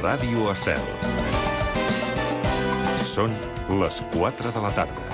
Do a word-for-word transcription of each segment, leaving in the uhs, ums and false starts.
Ràdio Estel. Són les quatre de la tarda.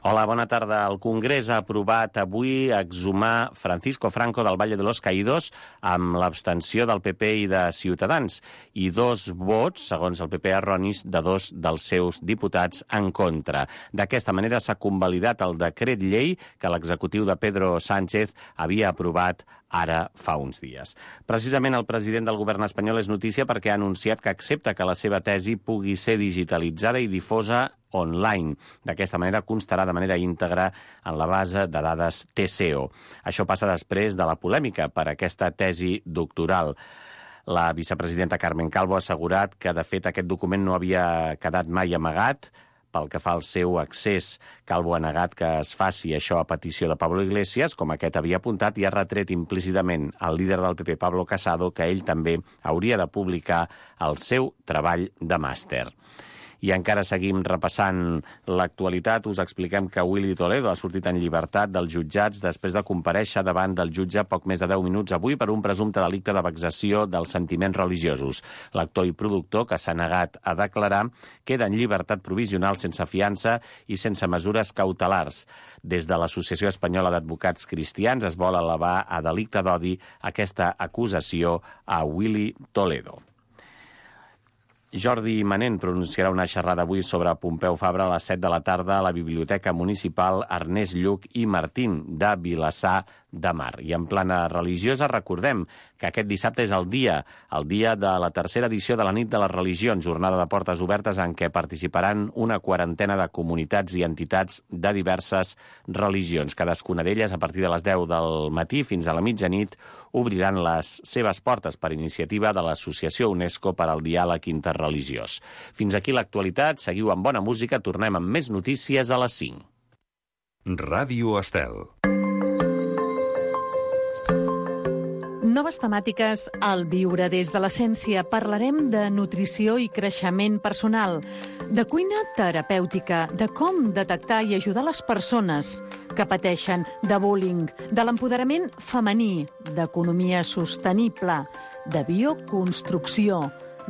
Hola, bona tarda. El Congrés ha aprovat avui exhumar Francisco Franco del Valle de los Caídos amb l'abstenció del P P i de Ciutadans i dos vots, segons el P P, erronis de dos dels seus diputats en contra. D'aquesta manera s'ha convalidat el decret llei que l'executiu de Pedro Sánchez havia aprovat ara fa uns dies. Precisament el president del govern espanyol és notícia perquè ha anunciat que accepta que la seva tesi pugui ser digitalitzada i difosa online. D'aquesta manera constarà de manera íntegra en la base de dades T C O. Això passa després de la polèmica per aquesta tesi doctoral. La vicepresidenta Carmen Calvo ha assegurat que, de fet, aquest document no havia quedat mai amagat. Pel que fa al seu accés, Calvo ha negat que es faci això a petició de Pablo Iglesias, com aquest havia apuntat, i ha retret implícitament al líder del P P, Pablo Casado, que ell també hauria de publicar el seu treball de màster. I encara seguim repassant l'actualitat. Us expliquem que Willy Toledo ha sortit en llibertat dels jutjats després de comparèixer davant del jutge poc més de deu minuts avui per un presumpte delicte de vexació dels sentiments religiosos. L'actor i productor, que s'ha negat a declarar, queda en llibertat provisional sense fiança i sense mesures cautelars. Des de l'Associació Espanyola d'Advocats Cristians es vol elevar a delicte d'odi aquesta acusació a Willy Toledo. Jordi Manent pronunciarà una xerrada avui sobre Pompeu Fabra a les set de la tarda a la Biblioteca Municipal Ernest Lluch i Martín de Vilassar de Mar. I en plana religiosa recordem que aquest dissabte és el dia, el dia de la tercera edició de la Nit de les Religions, jornada de portes obertes en què participaran una quarantena de comunitats i entitats de diverses religions. Cadascuna d'elles, a partir de les deu del matí fins a la mitjanit, obriran les seves portes per iniciativa de l'Associació UNESCO per al Diàleg Interreligiós. Fins aquí l'actualitat, seguiu amb bona música, tornem amb més notícies a les cinc. Ràdio Estel. Noves temàtiques al Viure des de l'Essència. Parlarem de nutrició i creixement personal, de cuina terapèutica, de com detectar i ajudar les persones que pateixen de bullying, de l'empoderament femení, d'economia sostenible, de bioconstrucció,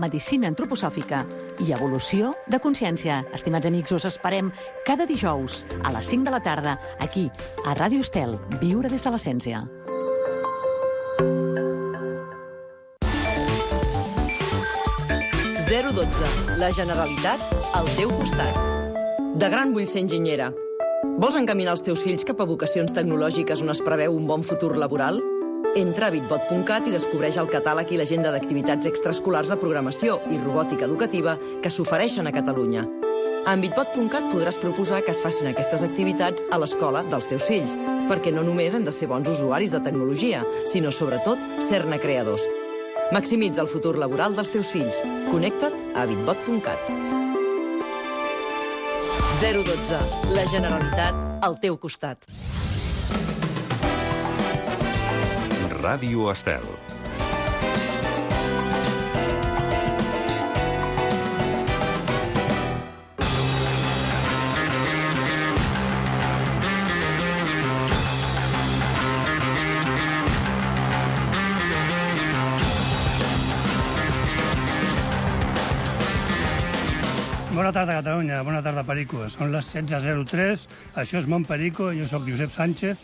medicina antroposòfica i evolució de consciència. Estimats amics, us esperem cada dijous a les cinc de la tarda, aquí, a Ràdio Estel, Viure des de l'Essència. zero dotze. La Generalitat al teu costat. De gran vull ser enginyera. Vols encaminar els teus fills cap a vocacions tecnològiques on es preveu un bon futur laboral? Entra a bitbot punt cat i descobreix el catàleg i l'agenda d'activitats extraescolars de programació i robòtica educativa que s'ofereixen a Catalunya. En bitbot punt cat podràs proposar que es facin aquestes activitats a l'escola dels teus fills, perquè no només hem de ser bons usuaris de tecnologia, sinó sobretot ser-ne creadors. Maximitza el futur laboral dels teus fills. Connecta't a bitbot punt cat. zero dotze. La Generalitat al teu costat. Ràdio Estel. Bona tarda, Catalunya. Bona tarda, Perico. Són les setze zero tres. Això és Mont Perico. Jo sóc Josep Sánchez.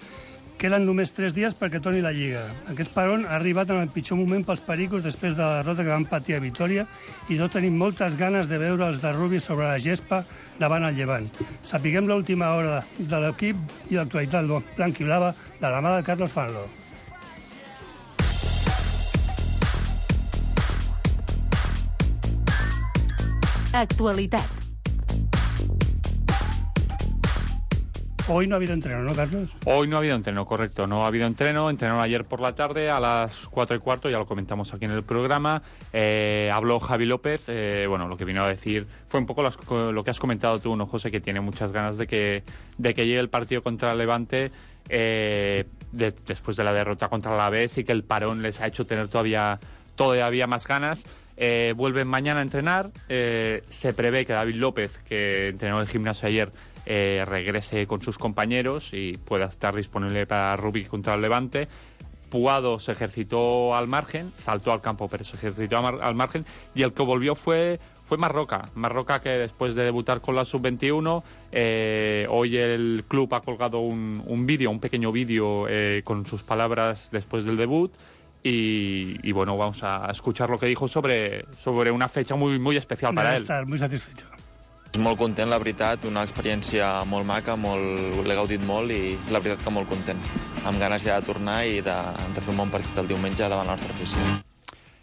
Queden només tres dies perquè torni la Lliga. Aquest peron ha arribat en el pitjor moment pels pericos després de la derrota que van patir a Vitòria i no tenim moltes ganes de veure els de Rubi sobre la gespa davant el Llevant. Sapiguem l'última hora de l'equip i l'actualitat blanc-i-blava de la mà de Carlos Fanlo. Actualitat. Hoy no ha habido entreno, ¿no, Carlos? Hoy no ha habido entreno, correcto. No ha habido entreno. Entrenaron ayer por la tarde a las cuatro y cuarto, ya lo comentamos aquí en el programa. Eh, habló Javi López. Eh, bueno, lo que vino a decir fue un poco las, lo que has comentado tú, ¿no, José? Que tiene muchas ganas de que, de que llegue el partido contra el Levante eh, de, después de la derrota contra el Alavés y que el parón les ha hecho tener todavía, todavía más ganas. Eh, vuelven mañana a entrenar. Eh, se prevé que David López, que entrenó el gimnasio ayer, eh, regrese con sus compañeros y pueda estar disponible para Rubí contra el Levante. Puado se ejercitó al margen, saltó al campo, pero se ejercitó al margen, y el que volvió fue, fue Marroca. Marroca, que después de debutar con la sub veintiuno, eh, hoy el club ha colgado un, un vídeo, un pequeño vídeo eh, con sus palabras después del debut, y, y bueno, vamos a escuchar lo que dijo sobre, sobre una fecha muy, muy especial para él. Estar muy satisfecho. Molt content, la veritat, una experiència molt maca, molt, l'he gaudit molt i la veritat que molt content. Amb ganes ja de tornar i de, de fer un bon partit el diumenge davant la nostra afició.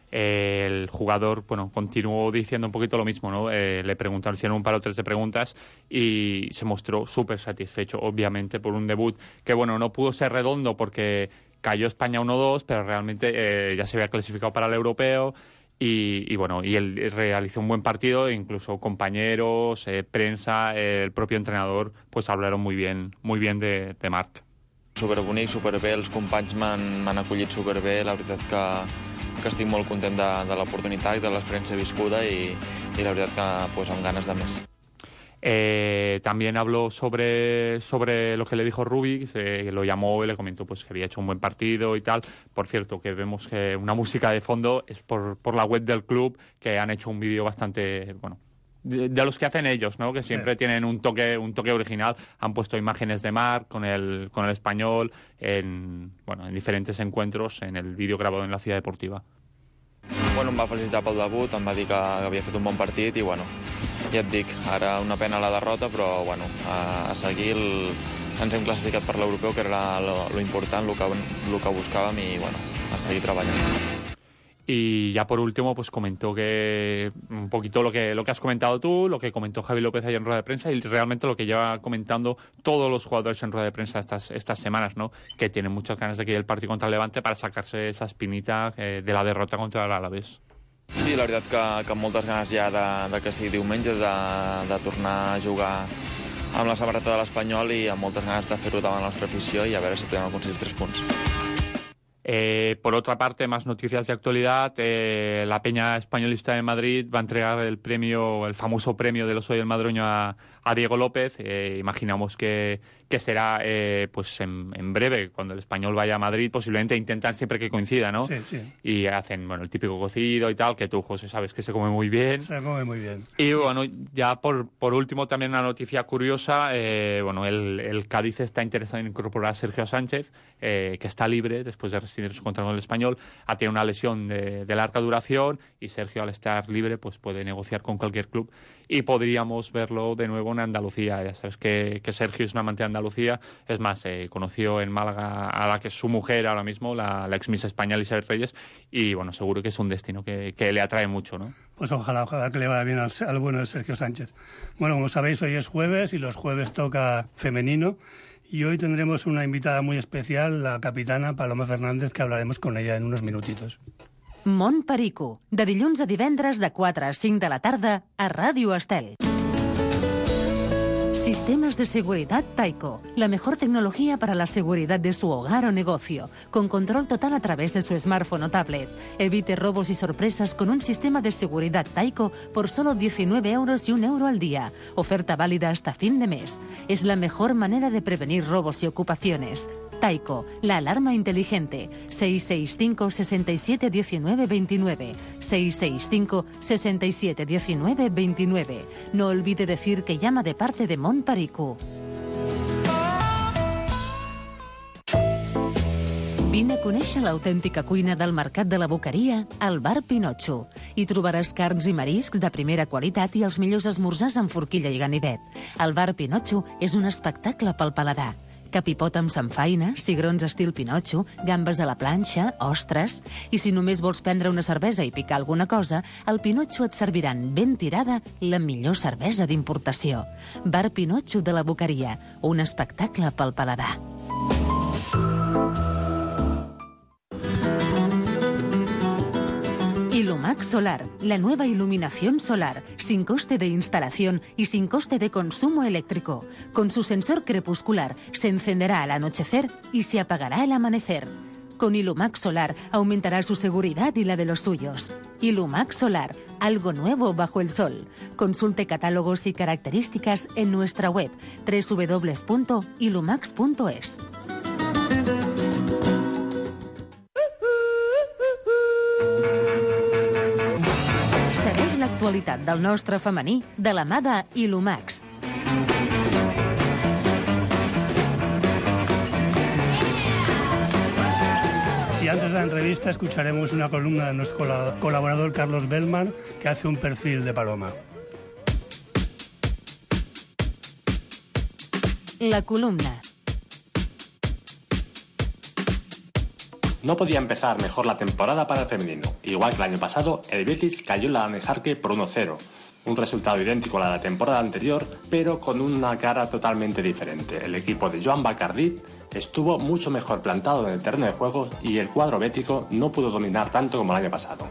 El jugador, bueno, continuó diciendo un poquito lo mismo, ¿no? Eh, le preguntaron, hicieron un par o tres de preguntas y se mostró súper satisfecho, obviamente, por un debut que, bueno, no pudo ser redondo porque cayó España uno dos, pero realmente eh, ya se había clasificado para el europeo. Y, y bueno, y él realizó un buen partido, incluso compañeros, eh, prensa, eh, el propio entrenador, pues hablaron muy bien, muy bien de, de Marc. Superbonic, superbé, els companys m'han acollit superbé, la veritat que, que estic molt content de, de l'oportunitat, de l'experiència viscuda i, i la veritat que pues, amb ganes de més. Eh, también habló sobre, sobre lo que le dijo Rubí, eh, lo llamó y le comentó pues, que había hecho un buen partido y tal. Por cierto, que vemos que una música de fondo es por, por la web del club, que han hecho un vídeo bastante, bueno, de, de los que hacen ellos, ¿no? Que siempre sí. tienen un toque, un toque original. Han puesto imágenes de Marc con el, con el español en, bueno, en diferentes encuentros en el vídeo grabado en la Ciudad Deportiva. Bueno, em va felicitar pel debut, em va dir que havia fet un bon partit i, bueno, ja et dic, ara una pena la derrota, però, bueno, a, a seguir el, ens hem classificat per l'europeu, que era lo, lo important, lo que, lo que buscàvem i, bueno, a seguir treballant. Y ya por último, pues comentó que un poquito lo que, lo que has comentado tú, lo que comentó Javi López ayer en rueda de prensa y realmente lo que lleva comentando todos los jugadores en rueda de prensa estas, estas semanas, ¿no? Que tienen muchas ganas de que el partido contra el Levante para sacarse esa espinita eh, de la derrota contra el Alavés. Sí, la veritat que, que amb moltes ganes ja de, de que sigui diumenge, de, de tornar a jugar amb la samarreta de l'Espanyol i amb moltes ganes de fer-ho davant la nostra afició i a veure si podem aconseguir tres punts. Eh, por otra parte, más noticias de actualidad. Eh, la Peña Españolista de Madrid va a entregar el premio, el famoso premio del Oso del Madroño a, a Diego López. Eh, imaginamos que, que será eh, pues en, en breve, cuando el Español vaya a Madrid. Posiblemente intentan siempre que coincida, ¿no? Sí, sí. Y hacen, bueno, el típico cocido y tal, que tú, José, sabes que se come muy bien. Se come muy bien. Y bueno, ya por, por último, también una noticia curiosa. Eh, bueno, el, el Cádiz está interesado en incorporar a Sergio Sánchez, eh, que está libre después de rescindir su contrato con el Español. Ha tenido una lesión de, de larga duración y Sergio, al estar libre, pues puede negociar con cualquier club y podríamos verlo de nuevo en Andalucía. Ya sabes que, que Sergio es un amante de Andalucía. Es más, eh, conoció en Málaga a la que es su mujer ahora mismo, la, la ex Miss España Elizabeth Reyes, y bueno, seguro que es un destino que, que le atrae mucho, ¿no? Pues ojalá, ojalá que le vaya bien al, al bueno de Sergio Sánchez. Bueno, como sabéis, hoy es jueves y los jueves toca femenino. Y hoy tendremos una invitada muy especial, la capitana Paloma Fernández, que hablaremos con ella en unos minutitos. Mont Perico, de dilluns a divendres de quatre a cinc de la tarda a Ràdio Estel. Sistemas de seguridad Taiko, la mejor tecnología para la seguridad de su hogar o negocio, con control total a través de su smartphone o tablet. Evite robos y sorpresas con un sistema de seguridad Taiko por solo diecinueve euros y un euro al día. Oferta válida hasta fin de mes. Es la mejor manera de prevenir robos y ocupaciones. Taiko, la alarma inteligente. seis seis cinco, seis siete uno nueve dos nueve. seis seis cinco, seis siete uno nueve dos nueve. No olvide decir que llama de parte de Mont Perico. Vine a conèixer l'autèntica cuina del Mercat de la Boqueria al Bar Pinotxo. Hi trobaràs carns i mariscs de primera qualitat i els millors esmorzars amb forquilla i ganivet. El Bar Pinotxo és un espectacle pel paladar. Capipot amb samfaina, cigrons estil Pinotxo, gambes a la planxa, ostres... I si només vols prendre una cervesa i picar alguna cosa, al Pinotxo et serviran ben tirada la millor cervesa d'importació. Bar Pinotxo de la Boqueria, un espectacle pel paladar. Ilumax Solar, la nueva iluminación solar, sin coste de instalación y sin coste de consumo eléctrico. Con su sensor crepuscular se encenderá al anochecer y se apagará al amanecer. Con Ilumax Solar aumentará su seguridad y la de los suyos. Ilumax Solar, algo nuevo bajo el sol. Consulte catálogos y características en nuestra web doble u doble u doble u punto ilumax punto es. l'actualitat del nostre femení de la mà de Ilumax. Y antes de la entrevista escucharemos una columna de nuestro colaborador Carlos Bellman, que hace un perfil de Paloma. La columna. No podía empezar mejor la temporada para el femenino. Igual que el año pasado, el Betis cayó en la Anejarque por uno cero. Un resultado idéntico a la temporada anterior, pero con una cara totalmente diferente. El equipo de Joan Bacardí estuvo mucho mejor plantado en el terreno de juego y el cuadro bético no pudo dominar tanto como el año pasado.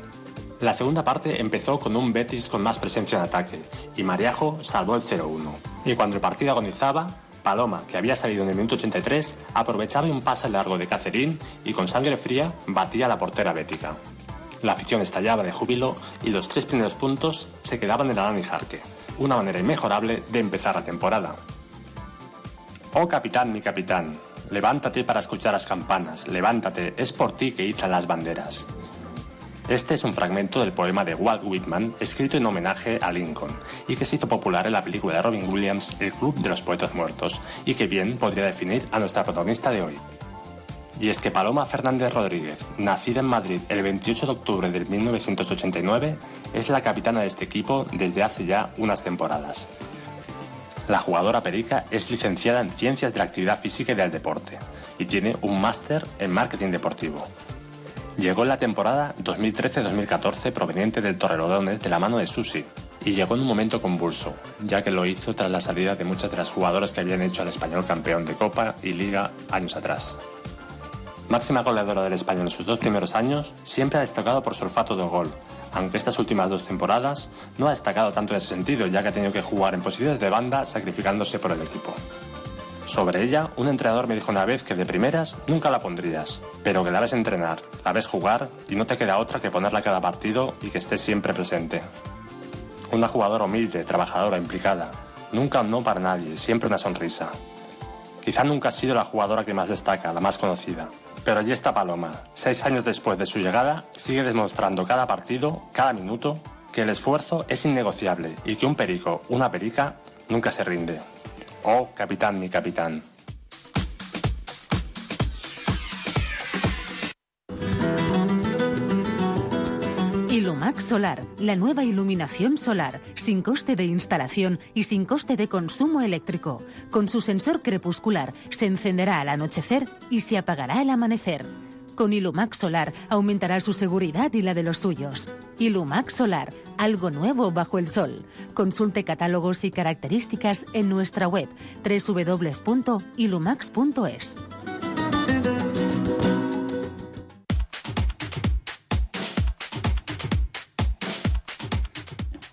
La segunda parte empezó con un Betis con más presencia en ataque y Mariajo salvó el cero uno. Y cuando el partido agonizaba, Paloma, que había salido en el minuto ochenta y tres, aprovechaba un pase largo de Cacerín y con sangre fría batía a la portera bética. La afición estallaba de júbilo y los tres primeros puntos se quedaban en la Anejarque, una manera inmejorable de empezar la temporada. Oh capitán, mi capitán, levántate para escuchar las campanas, levántate, es por ti que izan las banderas. Este es un fragmento del poema de Walt Whitman, escrito en homenaje a Lincoln, y que se hizo popular en la película de Robin Williams, El Club de los Poetas Muertos, y que bien podría definir a nuestra protagonista de hoy. Y es que Paloma Fernández Rodríguez, nacida en Madrid el veintiocho de octubre de mil novecientos ochenta y nueve, es la capitana de este equipo desde hace ya unas temporadas. La jugadora perica es licenciada en Ciencias de la Actividad Física y del Deporte, y tiene un máster en Marketing Deportivo. Llegó en la temporada dos mil trece dos mil catorce proveniente del Torrelodones de la mano de Susi, y llegó en un momento convulso, ya que lo hizo tras la salida de muchas de las jugadoras que habían hecho al Español campeón de Copa y Liga años atrás. Máxima goleadora del Español en sus dos primeros años, siempre ha destacado por su olfato de gol, aunque estas últimas dos temporadas no ha destacado tanto en ese sentido, ya que ha tenido que jugar en posiciones de banda sacrificándose por el equipo. Sobre ella, un entrenador me dijo una vez que de primeras nunca la pondrías, pero que la ves entrenar, la ves jugar y no te queda otra que ponerla a cada partido y que esté siempre presente. Una jugadora humilde, trabajadora, implicada. Nunca un no para nadie, siempre una sonrisa. Quizá nunca ha sido la jugadora que más destaca, la más conocida. Pero allí está Paloma. Seis años después de su llegada, sigue demostrando cada partido, cada minuto, que el esfuerzo es innegociable y que un perico, una perica, nunca se rinde. Oh, capitán, mi capitán. Ilumax Solar, la nueva iluminación solar, sin coste de instalación y sin coste de consumo eléctrico. Con su sensor crepuscular se encenderá al anochecer y se apagará al amanecer. Con Ilumax Solar aumentará su seguridad y la de los suyos. Ilumax Solar, algo nuevo bajo el sol. Consulte catálogos y características en nuestra web doble u doble u doble u punto ilumax punto es.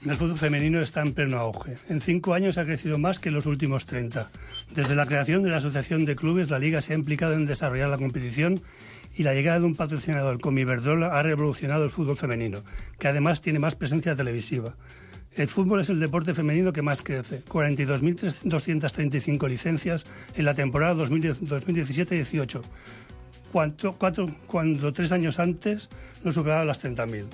El fútbol femenino está en pleno auge. En cinco años ha crecido más que en los últimos treinta. Desde la creación de la Asociación de Clubes, la Liga se ha implicado en desarrollar la competición y la llegada de un patrocinador como Iberdrola ha revolucionado el fútbol femenino, que además tiene más presencia televisiva. El fútbol es el deporte femenino que más crece, cuarenta y dos mil doscientas treinta y cinco licencias en la temporada dos mil diecisiete dieciocho, cuando, cuatro, cuando tres años antes no superaba las treinta mil.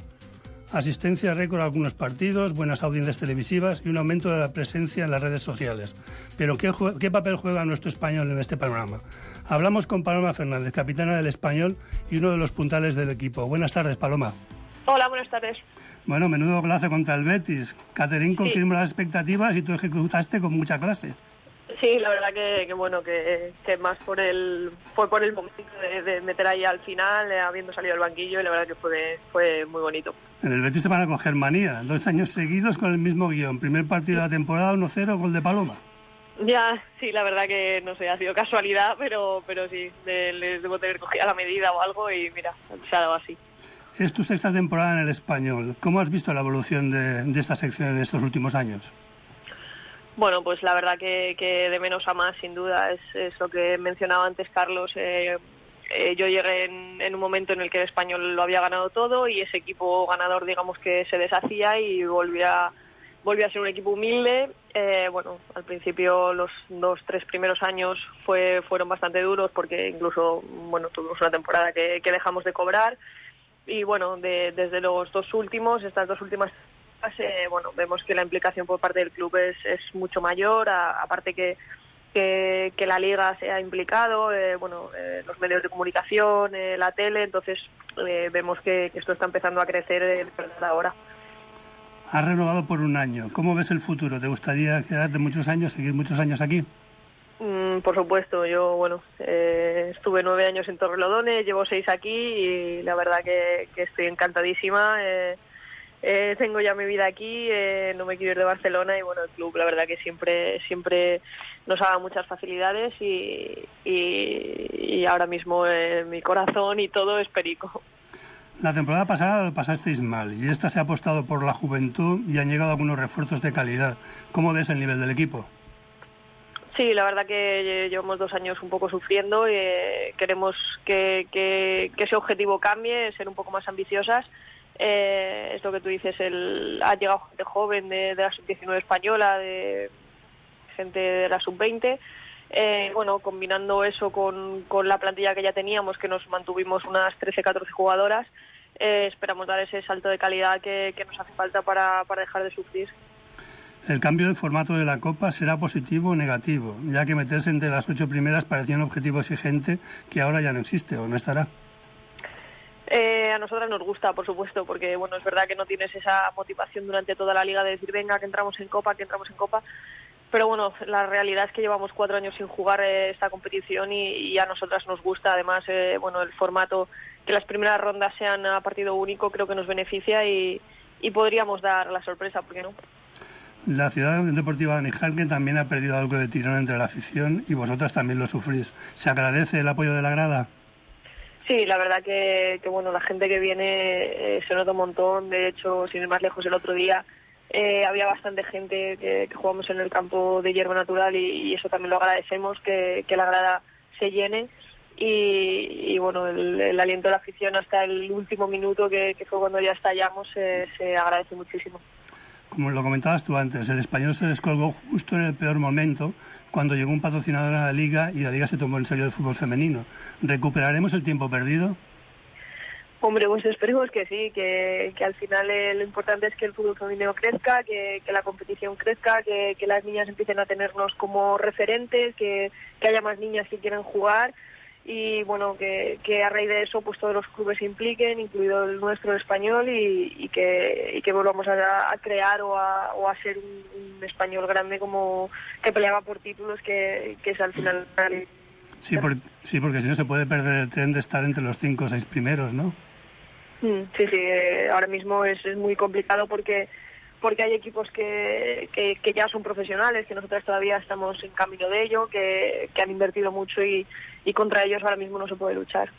Asistencia récord a algunos partidos, buenas audiencias televisivas y un aumento de la presencia en las redes sociales. Pero ¿qué, qué papel juega nuestro Español en este panorama? Hablamos con Paloma Fernández, capitana del Español y uno de los puntales del equipo. Buenas tardes, Paloma. Hola, buenas tardes. Bueno, menudo golazo contra el Betis. Caterín confirmó sí. las expectativas y tú ejecutaste con mucha clase. Sí, la verdad que, que bueno, que, que más por el fue por el momento de, de meter ahí al final, eh, habiendo salido del banquillo, y la verdad que fue, fue muy bonito. En el Betis te van a coger manía, dos años seguidos con el mismo guión. Primer partido de la temporada, uno cero, gol de Paloma. Ya, sí, la verdad que, no sé, ha sido casualidad, pero pero sí, de, les debo tener cogida la medida o algo y mira, se ha dado así. Es tu sexta temporada en el Español. ¿Cómo has visto la evolución de, de esta sección en estos últimos años? Bueno, pues la verdad que, que de menos a más, sin duda, es, es lo que mencionaba antes Carlos. Eh, eh, yo llegué en, en un momento en el que el Español lo había ganado todo y ese equipo ganador, digamos, que se deshacía y volvía, volvía a ser un equipo humilde. Eh, bueno, al principio los dos, tres primeros años fue, fueron bastante duros porque incluso, bueno, tuvimos una temporada que, que dejamos de cobrar. Y bueno, de, desde los dos últimos, estas dos últimas eh, bueno, vemos que la implicación por parte del club es, es mucho mayor, a, aparte que, que que la liga se ha implicado, eh, bueno, eh, los medios de comunicación, eh, la tele, entonces eh, vemos que, que esto está empezando a crecer eh, de verdad ahora. Has renovado por un año. ¿Cómo ves el futuro? ¿Te gustaría quedarte muchos años, seguir muchos años aquí? Mm, por supuesto, yo bueno eh, estuve nueve años en Torrelodones, llevo seis aquí y la verdad que, que estoy encantadísima. Eh, eh, tengo ya mi vida aquí, eh, no me quiero ir de Barcelona y bueno, el club la verdad que siempre siempre nos ha dado muchas facilidades y, y, y ahora mismo eh, mi corazón y todo es Perico. La temporada pasada lo pasasteis mal y esta se ha apostado por la juventud y han llegado algunos refuerzos de calidad. ¿Cómo ves el nivel del equipo? Sí, la verdad que llevamos dos años un poco sufriendo y eh, queremos que, que, que ese objetivo cambie, ser un poco más ambiciosas. Eh, es lo que tú dices, el, ha llegado gente joven de, de la sub diecinueve española, de gente de la sub veinte. Eh, bueno, combinando eso con, con la plantilla que ya teníamos, que nos mantuvimos unas trece catorce jugadoras, eh, esperamos dar ese salto de calidad que, que nos hace falta para, para dejar de sufrir. ¿El cambio de formato de la Copa será positivo o negativo? Ya que meterse entre las ocho primeras parecía un objetivo exigente que ahora ya no existe o no estará. Eh, a nosotras nos gusta, por supuesto, porque bueno, es verdad que no tienes esa motivación durante toda la liga de decir venga, que entramos en Copa, que entramos en Copa. Pero bueno, la realidad es que llevamos cuatro años sin jugar eh, esta competición y, y a nosotras nos gusta. Además, eh, bueno, el formato, que las primeras rondas sean a partido único, creo que nos beneficia y, y podríamos dar la sorpresa, ¿por qué no? La ciudad deportiva de Níjarque también ha perdido algo de tirón entre la afición y vosotras también lo sufrís. ¿Se agradece el apoyo de la grada? Sí, la verdad que, que bueno, la gente que viene eh, se nota un montón. De hecho, sin ir más lejos, el otro día Eh, había bastante gente que, que jugamos en el campo de hierba natural y, y eso también lo agradecemos, que, que la grada se llene y, y bueno, el, el aliento de la afición hasta el último minuto que, que fue cuando ya estallamos eh, se agradece muchísimo. Como lo comentabas tú antes, el Español se descolgó justo en el peor momento cuando llegó un patrocinador a la Liga y la Liga se tomó en serio el fútbol femenino. ¿Recuperaremos el tiempo perdido? Hombre, pues esperemos que sí, que, que al final eh, lo importante es que el fútbol femenino crezca, que, que la competición crezca, que, que las niñas empiecen a tenernos como referentes, que, que haya más niñas que quieran jugar y bueno, que, que a raíz de eso pues todos los clubes se impliquen, incluido el nuestro, el español, y, y, que, y que volvamos a, a crear o a, o a ser un, un español grande como que peleaba por títulos, que, que es al final... Sí, por, sí, porque si no se puede perder el tren de estar entre los cinco o seis primeros, ¿no? Sí, sí, eh, ahora mismo es, es muy complicado porque porque hay equipos que, que, que ya son profesionales, que nosotros todavía estamos en camino de ello, que, que han invertido mucho y, y contra ellos ahora mismo no se puede luchar.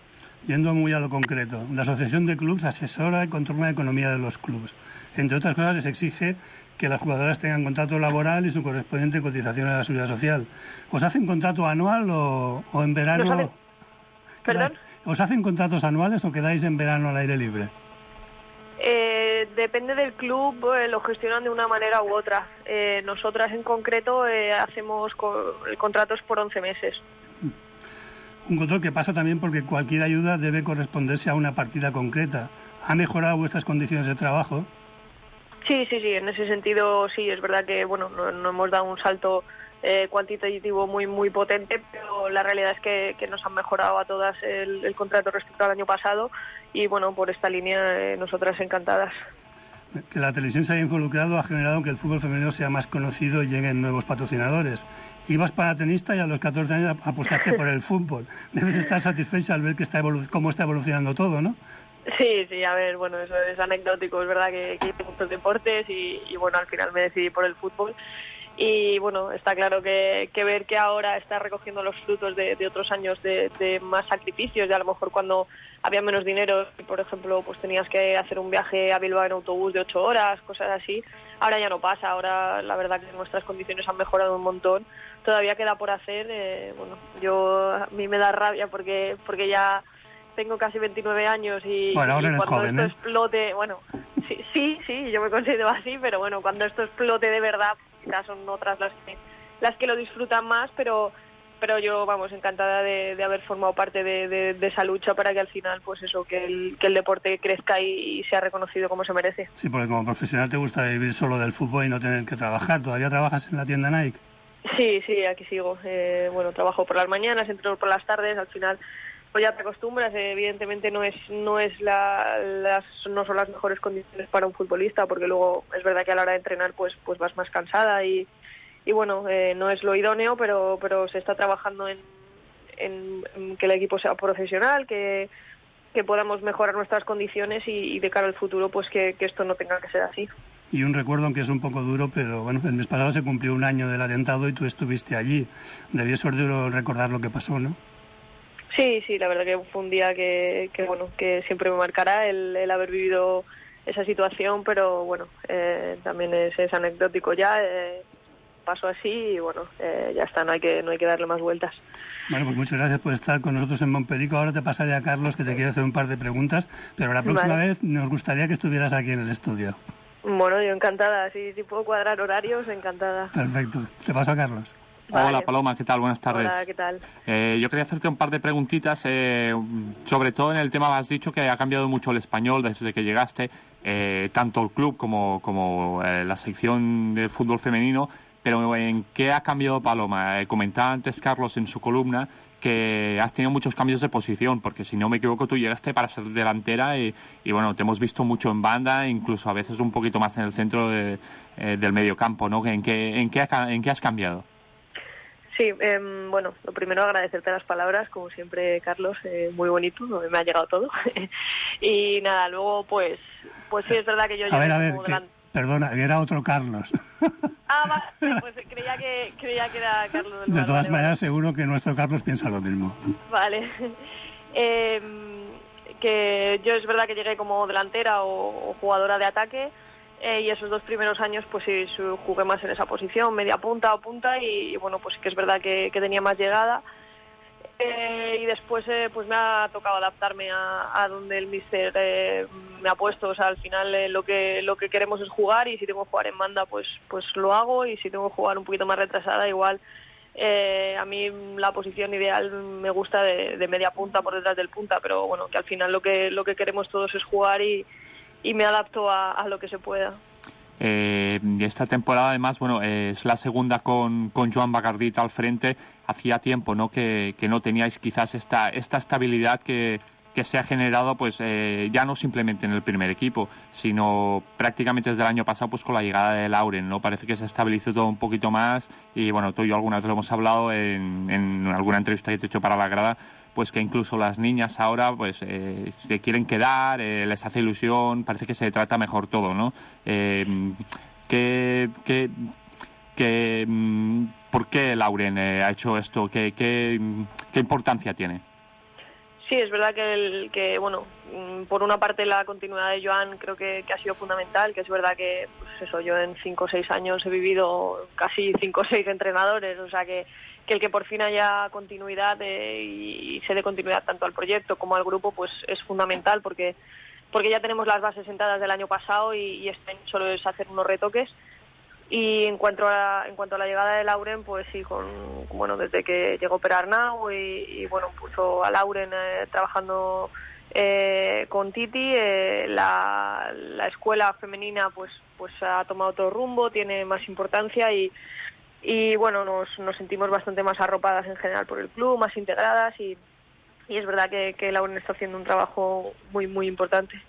Yendo muy a lo concreto, la Asociación de Clubs asesora y controla la economía de los clubes. Entre otras cosas, les exige que las jugadoras tengan contrato laboral y su correspondiente cotización a la seguridad social. ¿Os hacen contrato anual o, o en verano? ¿Perdón? ¿Os hacen contratos anuales o quedáis en verano al aire libre? Eh, depende del club, eh, lo gestionan de una manera u otra. Eh, nosotras en concreto eh, hacemos co- contratos por once meses. Un control que pasa también porque cualquier ayuda debe corresponderse a una partida concreta. ¿Ha mejorado vuestras condiciones de trabajo? Sí, sí, sí, en ese sentido sí, es verdad que bueno, no, no hemos dado un salto eh, cuantitativo muy muy potente, pero la realidad es que, que nos han mejorado a todas el, el contrato respecto al año pasado y bueno, por esta línea eh, nosotras encantadas. Que la televisión se haya involucrado ha generado que el fútbol femenino sea más conocido y lleguen nuevos patrocinadores. Ibas para tenista y a los catorce años apostaste por el fútbol. Debes estar satisfecha al ver que está evolu- cómo está evolucionando todo, ¿no? Sí, sí, a ver, bueno, eso es anecdótico, es verdad que, que hice muchos deportes y, y bueno, al final me decidí por el fútbol. Y bueno, está claro que, que ver que ahora está recogiendo los frutos de, de otros años de, de más sacrificios, y a lo mejor cuando había menos dinero, por ejemplo, pues tenías que hacer un viaje a Bilbao en autobús de ocho horas, cosas así. Ahora ya no pasa, ahora la verdad que nuestras condiciones han mejorado un montón. Todavía queda por hacer, eh, bueno, yo a mí me da rabia porque porque ya tengo casi veintinueve años y, bueno, ahora y eres cuando joven, esto ¿eh? explote, bueno, sí, sí, sí, yo me considero así, pero bueno, cuando esto explote de verdad, quizás son otras las que, las que lo disfrutan más, pero pero yo, vamos, encantada de, de haber formado parte de, de, de esa lucha para que al final, pues eso, que el, que el deporte crezca y, y sea reconocido como se merece. Sí, porque como profesional te gusta vivir solo del fútbol y no tener que trabajar. ¿Todavía trabajas en la tienda Nike? Sí, sí, aquí sigo. Eh, bueno, trabajo por las mañanas, entro por las tardes, al final pues ya te acostumbras. Eh, evidentemente no es no es la, las no son las mejores condiciones para un futbolista, porque luego es verdad que a la hora de entrenar pues pues vas más cansada y y bueno, eh, no es lo idóneo, pero pero se está trabajando en, en, en que el equipo sea profesional, que, que podamos mejorar nuestras condiciones y, y de cara al futuro pues que, que esto no tenga que ser así. Y un recuerdo, aunque es un poco duro, pero bueno, el mes pasado se cumplió un año del atentado y tú estuviste allí. Debió ser duro recordar lo que pasó, ¿no? Sí, sí, la verdad que fue un día que, que bueno, que siempre me marcará el, el haber vivido esa situación, pero bueno, eh, también es, es anecdótico ya. Eh, pasó así y bueno, eh, ya está, no hay que no hay que darle más vueltas. Bueno, pues muchas gracias por estar con nosotros en Montperico. Ahora te pasaré a Carlos, que te quiere hacer un par de preguntas, pero la próxima Vale. vez nos gustaría que estuvieras aquí en el estudio. Bueno, yo encantada, si, si puedo cuadrar horarios, encantada. Perfecto, te paso a Carlos. Vale. Hola Paloma, ¿qué tal? Buenas tardes. Hola, ¿qué tal? Eh, yo quería hacerte un par de preguntitas, eh, sobre todo en el tema, has dicho que ha cambiado mucho el español desde que llegaste, eh, tanto el club como, como eh, la sección de fútbol femenino, pero ¿en qué ha cambiado Paloma? Eh, comentaba antes Carlos en su columna que has tenido muchos cambios de posición, porque si no me equivoco tú llegaste para ser delantera y, y bueno, te hemos visto mucho en banda, incluso a veces un poquito más en el centro de, eh, del mediocampo, ¿no? ¿En qué, en, qué ha, ¿En qué has cambiado? Sí, eh, bueno, lo primero agradecerte las palabras, como siempre, Carlos, eh, muy bonito, me ha llegado todo. Y nada, luego pues pues sí, es verdad que yo... A ver, a ver, como que, delan... perdona, que era otro Carlos. Ah, vale, pues creía que, creía que era Carlos del De Bar, todas vale, maneras, vale. seguro que nuestro Carlos piensa lo mismo. Vale. Eh, que yo es verdad que llegué como delantera o, o jugadora de ataque, eh, y esos dos primeros años pues sí jugué más en esa posición, media punta o punta, y, y bueno, pues sí que es verdad que, que tenía más llegada. Eh, y después eh, pues me ha tocado adaptarme a, a donde el míster eh, me ha puesto. O sea, al final eh, lo que lo que queremos es jugar, y si tengo que jugar en banda pues pues lo hago, y si tengo que jugar un poquito más retrasada igual. Eh, a mí la posición ideal me gusta de, de media punta por detrás del punta, pero bueno, que al final lo que lo que queremos todos es jugar, y, y me adapto a, a lo que se pueda. Eh, esta temporada además, bueno, eh, es la segunda con, con Joan Bacardit al frente. Hacía tiempo, ¿no?, que, que no teníais quizás esta, esta estabilidad que, que se ha generado, pues eh, ya no simplemente en el primer equipo, sino prácticamente desde el año pasado, pues con la llegada de Lauren, ¿no? Parece que se estabilizó todo un poquito más, y bueno, tú y yo alguna vez lo hemos hablado en, en alguna entrevista que te he hecho para la grada, pues que incluso las niñas ahora pues eh, se quieren quedar, eh, les hace ilusión, parece que se trata mejor todo, ¿no? Eh, ¿qué, qué, qué, ¿Por qué Lauren eh, ha hecho esto? ¿Qué, qué, ¿Qué importancia tiene? Sí, es verdad que, el, que bueno, por una parte la continuidad de Joan creo que, que ha sido fundamental, que es verdad que, pues eso, yo en cinco o seis años he vivido casi cinco o seis entrenadores, o sea que, que el que por fin haya continuidad eh, y, y se dé continuidad tanto al proyecto como al grupo, pues es fundamental, porque porque ya tenemos las bases sentadas del año pasado, y, y este año solo es hacer unos retoques. Y en cuanto a la, en cuanto a la llegada de Lauren, pues sí, con bueno, desde que llegó Perarnau y, y bueno, puso a Lauren eh, trabajando eh, con Titi, eh, la, la escuela femenina pues pues ha tomado otro rumbo, tiene más importancia, y y bueno, nos, nos sentimos bastante más arropadas en general por el club, más integradas, y, y es verdad que, que Lauren está haciendo un trabajo muy muy importante.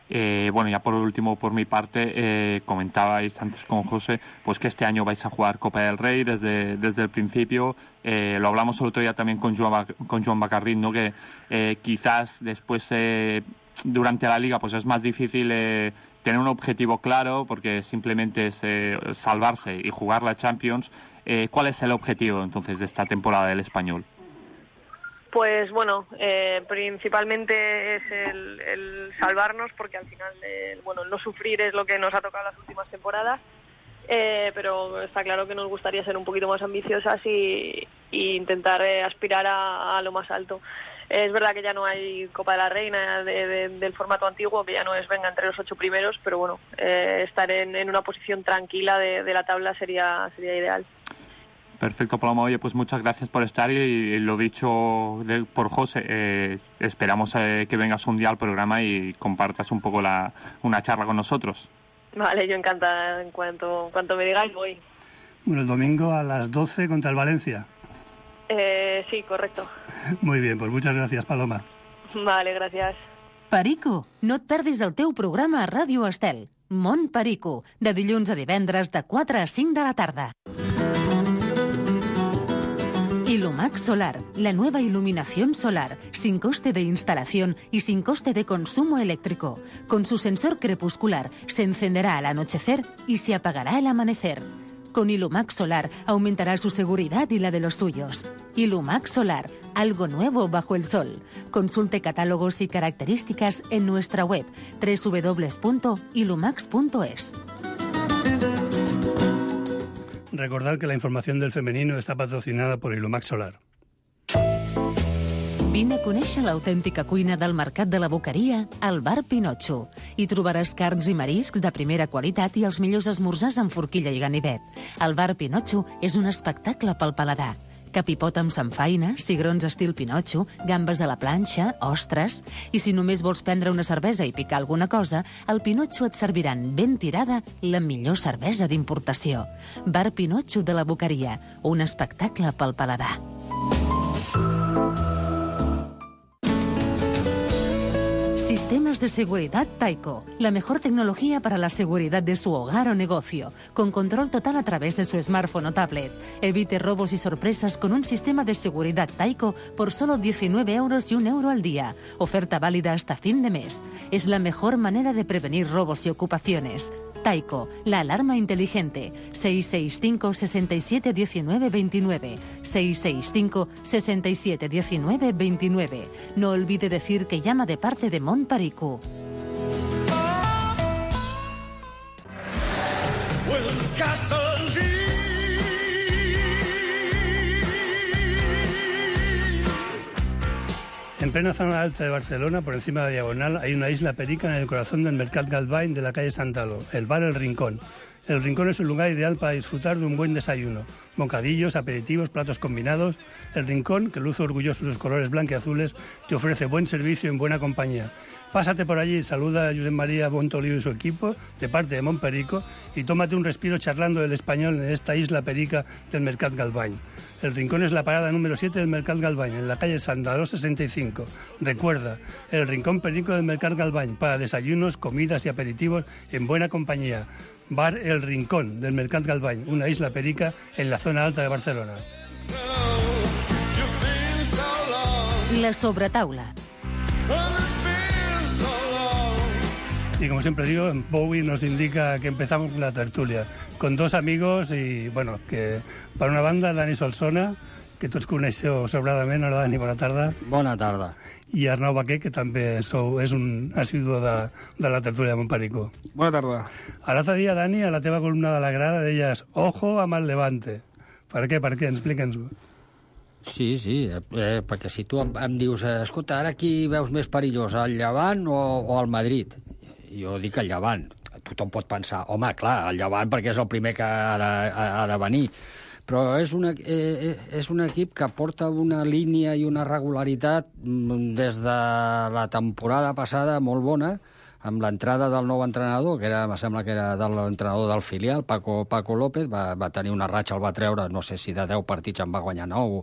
Eh, bueno, ya por último, por mi parte, eh, comentabais antes con José, pues que este año vais a jugar Copa del Rey desde, desde el principio. Eh, lo hablamos el otro día también con Joan, con Joan Bacardit, ¿no? Que eh, quizás después, eh, durante la Liga, pues es más difícil eh, tener un objetivo claro, porque simplemente es eh, salvarse y jugar la Champions. Eh, ¿Cuál es el objetivo, entonces, de esta temporada del Español? Pues bueno, eh, principalmente es el, el salvarnos, porque al final, eh, bueno, el no sufrir es lo que nos ha tocado las últimas temporadas, eh, pero está claro que nos gustaría ser un poquito más ambiciosas y, y intentar eh, aspirar a, a lo más alto. Es verdad que ya no hay Copa de la Reina de, de, del formato antiguo, que ya no es venga entre los ocho primeros, pero bueno, eh, estar en, en una posición tranquila de, de la tabla sería sería ideal. Perfecto, Paloma. Oye, pues muchas gracias por estar y, y lo dicho de, por José, eh, esperamos eh, que vengas un día al programa y compartas un poco la, una charla con nosotros. Vale, yo encantada. En cuanto, en cuanto me digáis, voy. Bueno, el domingo a las doce contra el Valencia. Eh, sí, correcto. Muy bien, pues muchas gracias, Paloma. Vale, gracias. Perico, no et perdis el teu programa a Ràdio Estel. Món Perico, de dilluns a divendres de quatre a cinc de la tarda. Ilumax Solar, la nueva iluminación solar, sin coste de instalación y sin coste de consumo eléctrico. Con su sensor crepuscular, se encenderá al anochecer y se apagará al amanecer. Con Ilumax Solar aumentará su seguridad y la de los suyos. Ilumax Solar, algo nuevo bajo el sol. Consulte catálogos y características en nuestra web doble u doble u doble u punto ilumax punto es. Recordad que la información del femenino está patrocinada por Ilumax Solar. Vine a conèixer l'autèntica cuina del Mercat de la Boqueria al Bar Pinotxo. Hi trobaràs carns i mariscs de primera qualitat i els millors esmorzars amb forquilla i ganivet. El Bar Pinotxo és un espectacle pel paladar. Capipot amb samfaina, cigrons estil Pinotxo, gambes a la planxa, ostres... I si només vols prendre una cervesa i picar alguna cosa, al Pinotxo et serviran ben tirada la millor cervesa d'importació. Bar Pinotxo de la Boqueria, un espectacle pel paladar. Sistemas de seguridad Taiko, la mejor tecnología para la seguridad de su hogar o negocio, con control total a través de su smartphone o tablet. Evite robos y sorpresas con un sistema de seguridad Taiko por solo diecinueve euros y un euro al día. Oferta válida hasta fin de mes. Es la mejor manera de prevenir robos y ocupaciones. Taiko, la alarma inteligente. seis seis cinco, seis siete uno nueve dos nueve. seis seis cinco, seis siete uno nueve dos nueve. No olvide decir que llama de parte de Mont Perico. En plena zona alta de Barcelona, por encima de la Diagonal, hay una isla perica en el corazón del Mercat Galvany de la calle Santalo, el bar El Rincón. El Rincón es un lugar ideal para disfrutar de un buen desayuno. Bocadillos, aperitivos, platos combinados. El Rincón, que luce orgulloso de sus colores blancos y azules, te ofrece buen servicio en buena compañía. Pásate por allí, saluda a Josep María Bontoliu y su equipo, de parte de Mont Perico, y tómate un respiro charlando del español en esta isla perica del Mercat Galvany. El Rincón es la parada número siete del Mercat Galvany, en la calle Sandaló sesenta y cinco. Recuerda, el Rincón Perico del Mercat Galvany, para desayunos, comidas y aperitivos en buena compañía. Bar El Rincón del Mercat Galvany, una isla perica en la zona alta de Barcelona. La sobretaula. Y como siempre digo, Bowie nos indica que empezamos la tertulia con dos amigos y, bueno, que per una banda, Dani Solsona, que tots coneixeu sobradament. Hola, Dani, bona tarda. Bona tarda. I Arnau Baquer, que també sou, és un assiduo de, de la tertúlia de Montperico. Bona tarda. L'altre dia, Dani, a la teva columna de la grada deies ojo amb el Levante. Per què? Per què? Explica'ns-ho. Sí, sí, eh, perquè si tu em, em dius, eh, escolta, ara qui veus més perillós, el Llevant o, o el Madrid? Jo dic el Llevant. Tothom pot pensar, home, clar, el Llevant perquè és el primer que ha de, ha de venir. Però és, una, eh, és un equip que porta una línia i una regularitat des de la temporada passada molt bona, amb l'entrada del nou entrenador, que era, em sembla que era de l'entrenador del filial, Paco, Paco López, va, va tenir una ratxa, el va treure, no sé si de deu partits en va guanyar nou,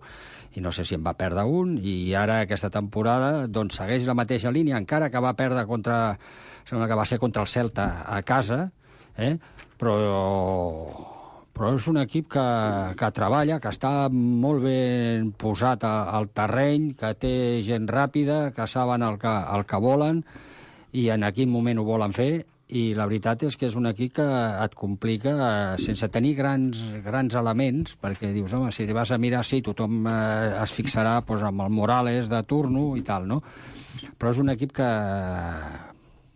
i no sé si en va perdre un, i ara aquesta temporada doncs, segueix la mateixa línia, encara que va perdre contra, sembla que va ser contra el Celta a casa, eh? però... però és un equip que, que treballa, que està molt ben posat al terreny, que té gent ràpida, que saben el que, el que volen i en quin moment ho volen fer, i la veritat és que és un equip que et complica sense tenir grans, grans elements, perquè dius, home, si vas a mirar, sí, tothom eh, es fixarà doncs, amb el Morales de turno i tal, no? Però és un equip que,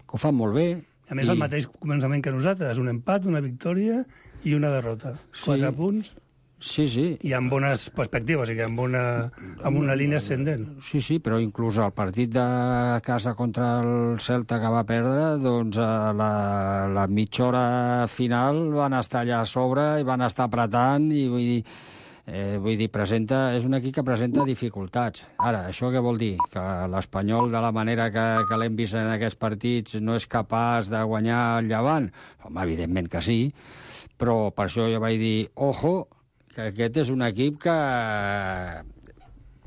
que ho fa molt bé. A més, i... el mateix començament que nosaltres, un empat, una victòria i una derrota. Sí. Quatre punts. Sí, sí. I amb bones perspectives, o sigui, amb una, amb una línia ascendent. Sí, sí, però inclús el partit de casa contra el Celta que va perdre, doncs a la, la mitja hora final van estar allà a sobre i van estar apretant i vull dir, Eh, vull dir, presenta, és un equip que presenta dificultats. Ara, això què vol dir? Que l'Espanyol, de la manera que, que l'hem vist en aquests partits, no és capaç de guanyar el Llevant? Home, evidentment que sí, però per això jo vaig dir, ojo, que aquest és un equip que...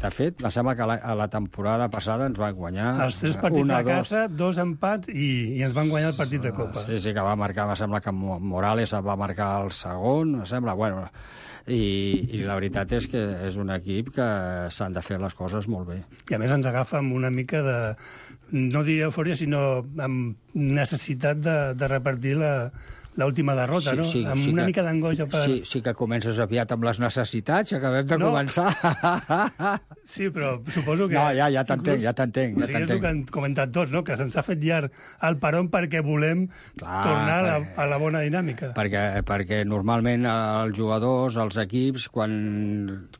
De fet, me sembla que la, a la temporada passada ens van guanyar... Els tres partits una, a casa, dos, dos empats i, i ens van guanyar el partit de Copa. Sí, sí, que va marcar, me sembla que Morales va marcar el segon, me sembla, bueno... I, i la veritat és que és un equip que s'han de fer les coses molt bé. I a més ens agafa amb una mica de, no diria eufòria, sinó amb necessitat de, de repartir la... l'última derrota, sí, no? Sí, amb sí una que, mica d'angoixa per... Sí, sí que comences aviat amb les necessitats, acabem de no. començar. Sí, però suposo que... No, ja, ja t'entenc, ja t'entenc. Ja o sigui, és el que han comentat tots, no? Que se'ns ha fet llarg el peron perquè volem Clar, tornar perquè, a, la, a la bona dinàmica. Perquè, perquè normalment els jugadors, els equips, quan,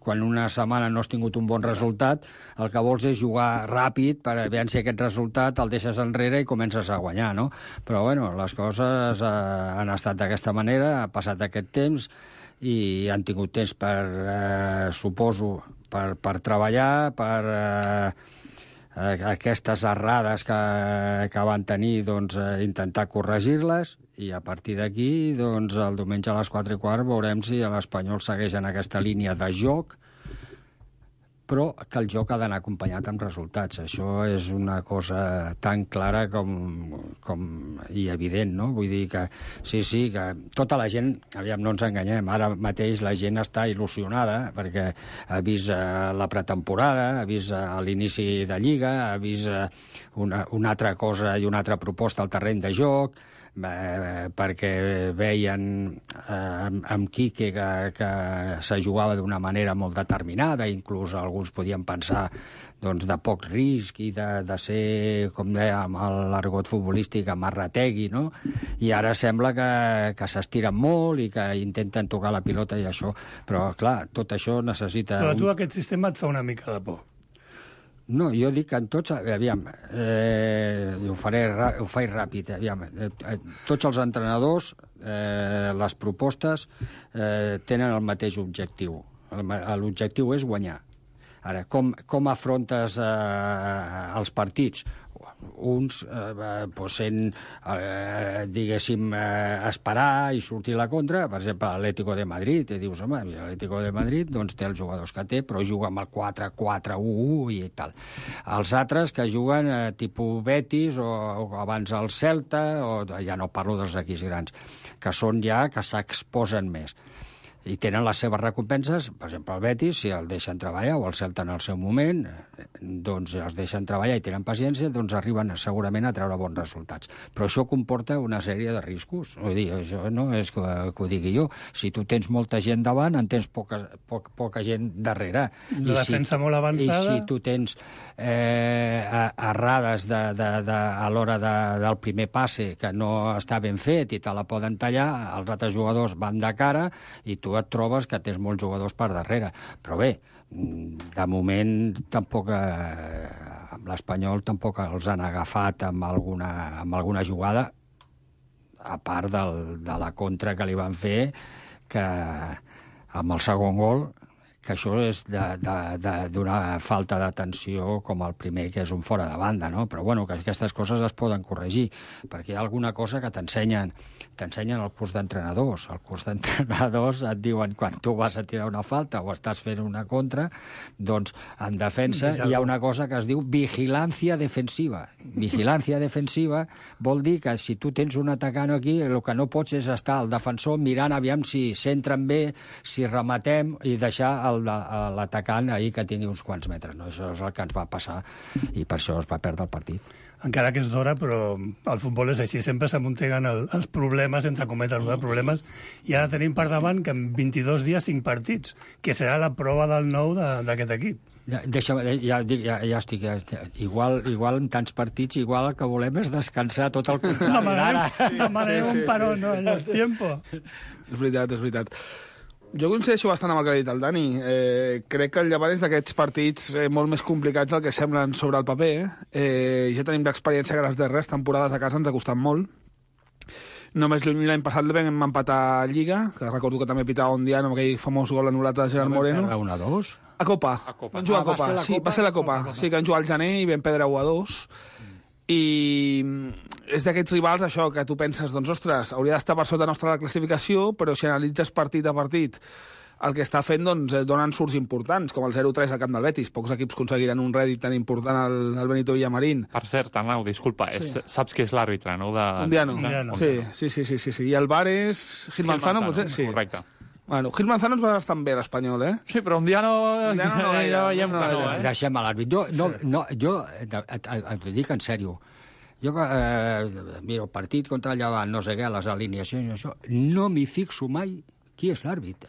quan una setmana no has tingut un bon resultat, el que vols és jugar ràpid per veure si aquest resultat el deixes enrere i comences a guanyar, no? Però, bueno, les coses eh, han estat d'aquesta manera, ha passat aquest temps i han tingut temps per, eh, suposo, per, per treballar, per eh, aquestes errades que, que van tenir, doncs, eh, intentar corregir-les, i a partir d'aquí, doncs, el diumenge a les quatre i quart veurem si l'Espanyol segueix en aquesta línia de joc, però que el joc ha d'anar acompanyat amb resultats. Això és una cosa tan clara com, com i evident, no? Vull dir que sí, sí, que tota la gent, aviam, no ens enganyem, ara mateix la gent està il·lusionada perquè ha vist eh, la pretemporada, ha vist eh, l'inici de Lliga, ha vist eh, una, una altra cosa i una altra proposta al terreny de joc, Eh, perquè veien eh, amb, amb Quique que, que se jugava d'una manera molt determinada, inclús alguns podien pensar doncs, de poc risc i de, de ser, com deia, amb l'argot futbolístic, amarrategui, no? I ara sembla que, que s'estiren molt i que intenten tocar la pilota i això, però clar, tot això necessita... Però tu un... aquest sistema et fa una mica de por. No, jo dic que en tots... Aviam, eh, ho, faré, ho faig ràpid. Aviam, eh, tots els entrenadors, eh, les propostes, eh, tenen el mateix objectiu. L'objectiu és guanyar. Ara, com, com afrontes eh, els partits? Uns eh, pues sent, eh, diguéssim, eh, esperar i sortir a la contra. Per exemple, l'Atlético de Madrid, i dius, home, l'Atlético de Madrid doncs, té els jugadors que té, però juga amb el quatre quatre u u i tal. Els altres que juguen eh, tipus Betis o, o abans el Celta, o ja no parlo dels equips grans, que són ja que s'exposen més. I tenen les seves recompenses, per exemple, el Betis, si el deixen treballar, o el Celta en el seu moment, doncs els deixen treballar i tenen paciència, doncs arriben segurament a treure bons resultats. Però això comporta una sèrie de riscos. Vull dir, això no és que, que ho digui jo. Si tu tens molta gent davant, en tens poca, poca, poca gent darrere. La defensa si, molt avançada... I si tu tens eh, errades de, de, de, a l'hora de, del primer passe que no està ben fet i te la poden tallar, els altres jugadors van de cara i tu et trobes que tens molts jugadors per darrere. Però bé, de moment tampoc eh, amb l'Espanyol tampoc els han agafat amb alguna, amb alguna jugada, a part del, de la contra que li van fer, que amb el segon gol, que això és d'una falta d'atenció com el primer, que és un fora de banda, no? Però bueno, que aquestes coses es poden corregir, perquè hi ha alguna cosa que t'ensenyen t'ensenyen el curs d'entrenadors. El curs d'entrenadors et diuen quan tu vas a tirar una falta o estàs fent una contra, doncs en defensa hi ha una cosa que es diu vigilància defensiva. Vigilància defensiva vol dir que si tu tens un atacant aquí, el que no pots és estar al defensor mirant aviam si s'entren bé, si rematem, i deixar l'atacant ahir que tingui uns quants metres. No? Això és el que ens va passar i per això es va perdre el partit. Encara que és d'hora, però el futbol és així. Sempre s'amunteguen el, els problemes, entre cometes, els problemes, i ara tenim per davant que en vint-i-dos dies cinc partits, que serà la prova del nou d'aquest equip. Ja, deixa, ja, ja, ja estic... Ja, igual, igual en tants partits, igual el que volem és descansar tot el contrari. Demanem, demanem sí, sí, un paró, sí. No? El tiempo. És veritat, és veritat. Jo coincideixo bastant amb el que ha dit el Dani. Eh, crec que el Llevant és d'aquests partits eh, molt més complicats del que semblen sobre el paper. Eh, ja tenim l'experiència que les darreres temporades a casa ens ha costat molt. Només l'any passat vam empatar a Lliga, que recordo que també pitava un dia amb aquell famós gol anul·lat de Gerard Moreno. Va un a dos? A Copa. A Copa. Vam jugar Ah, a Copa. va ser la Sí, Copa? va ser la Copa. Copa, Copa. Sí, que vam jugar al gener i vam perdre u a dos. I és d'aquests rivals, això, que tu penses, doncs, ostres, hauria d'estar per sota nostra la classificació, però si analitzes partit a partit el que està fent, doncs, eh, donen surts importants, com el zero tres al camp del Betis. Pocs equips aconseguiran un rèdit tan important al, al Benito Villamarín. Per cert, Arnau, disculpa, sí. és, saps qui és l'àrbitre, no? De, Undiano. Undiano. Sí, sí, sí, sí, sí, sí. I el bar és Gil Manzano, potser? Sí. Correcte. Bueno, Gil Manzano ens va bastant bé, l'Espanyol, eh? Sí, però un dia no... Undiano no gaire, ja veiem no que no, gaire. eh? Deixem a l'àrbit. Jo, no, no, jo et, et, et ho dic en sèrio. Jo, eh, mira, el partit contra el Llevant, no sé què, les alineacions, això, no m'hi fixo mai qui és l'àrbit.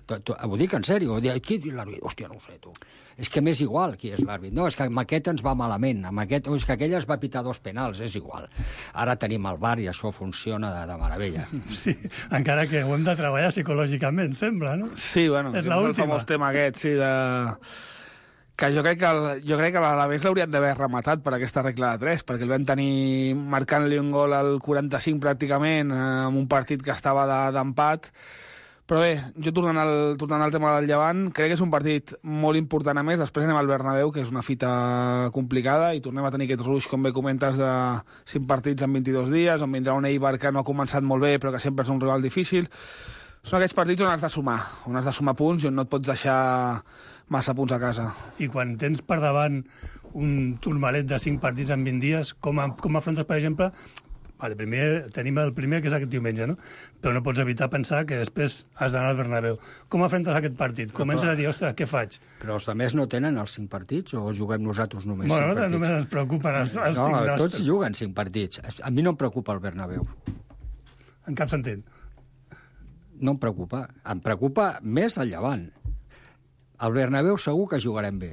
Ho dic en sèrio. Qui és l'àrbit? Hòstia, no ho sé, tu. És que m'és igual qui és l'àrbit. No, és que amb aquest ens va malament. Amb aquest, o és que aquell es va pitar dos penals, és igual. Ara tenim el V A R i això funciona de, de meravella. Sí, encara que ho hem de treballar psicològicament, sembla, no? Sí, bueno, És és el l'última. famós tema aquest, sí, de... que jo crec que, el, jo crec que l'Alavés l'haurien d'haver rematat per aquesta regla de tres, perquè el vam tenir marcant-li un gol al quaranta-cinc pràcticament, eh, amb un partit que estava de- d'empat. Però bé, jo tornant al, tornant al tema del Llevant, crec que és un partit molt important a més. Després anem al Bernabéu, que és una fita complicada, i tornem a tenir aquest ruix, com bé comentes, de cinc partits en vint-i-dos dies, on vindrà un Eibar que no ha començat molt bé, però que sempre és un rival difícil. Són aquests partits on has de sumar, on has de sumar punts i on no et pots deixar massa punts a casa. I quan tens per davant un turmalet de cinc partits en vint dies, com, a, com afrontes, per exemple... Vale, primer, tenim el primer, que és aquest diumenge, no? Però no pots evitar pensar que després has d'anar al Bernabéu. Com afrontes aquest partit? Comences a dir, ostres, què faig? Però els altres no tenen els cinc partits o juguem nosaltres només Bueno, cinc partits? només ens preocupen els, els no, cinc tots nostres. juguen cinc partits. A mi no em preocupa el Bernabéu. En cap sentit. No em preocupa. Em preocupa més el Llevant. Al Bernabéu segur que jugarem bé.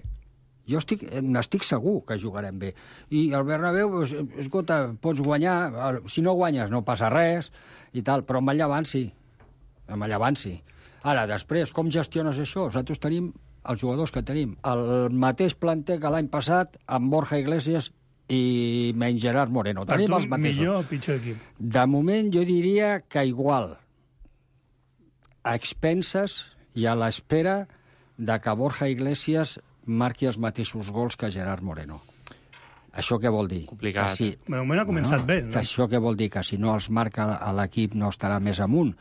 Jo estic, n'estic segur que jugarem bé. I el Bernabéu, pues, escolta, pots guanyar, si no guanyes no passa res, i tal, però amb el Llevant sí. Amb el Llevant sí. Ara, després, com gestiones això? Nosaltres tenim els jugadors que tenim. El mateix planter que l'any passat, amb Borja Iglesias i menys Gerard Moreno. Per tenim tu, els mateixos. millor o pitjor equip? De moment jo diria que igual, a expenses i a l'espera de que Borja Iglesias marqui els mateixos gols que Gerard Moreno. Això què vol dir? Complicat. Que si, De moment ha començat bé, no? que això què vol dir? Que si no els marca a l'equip no estarà més amunt?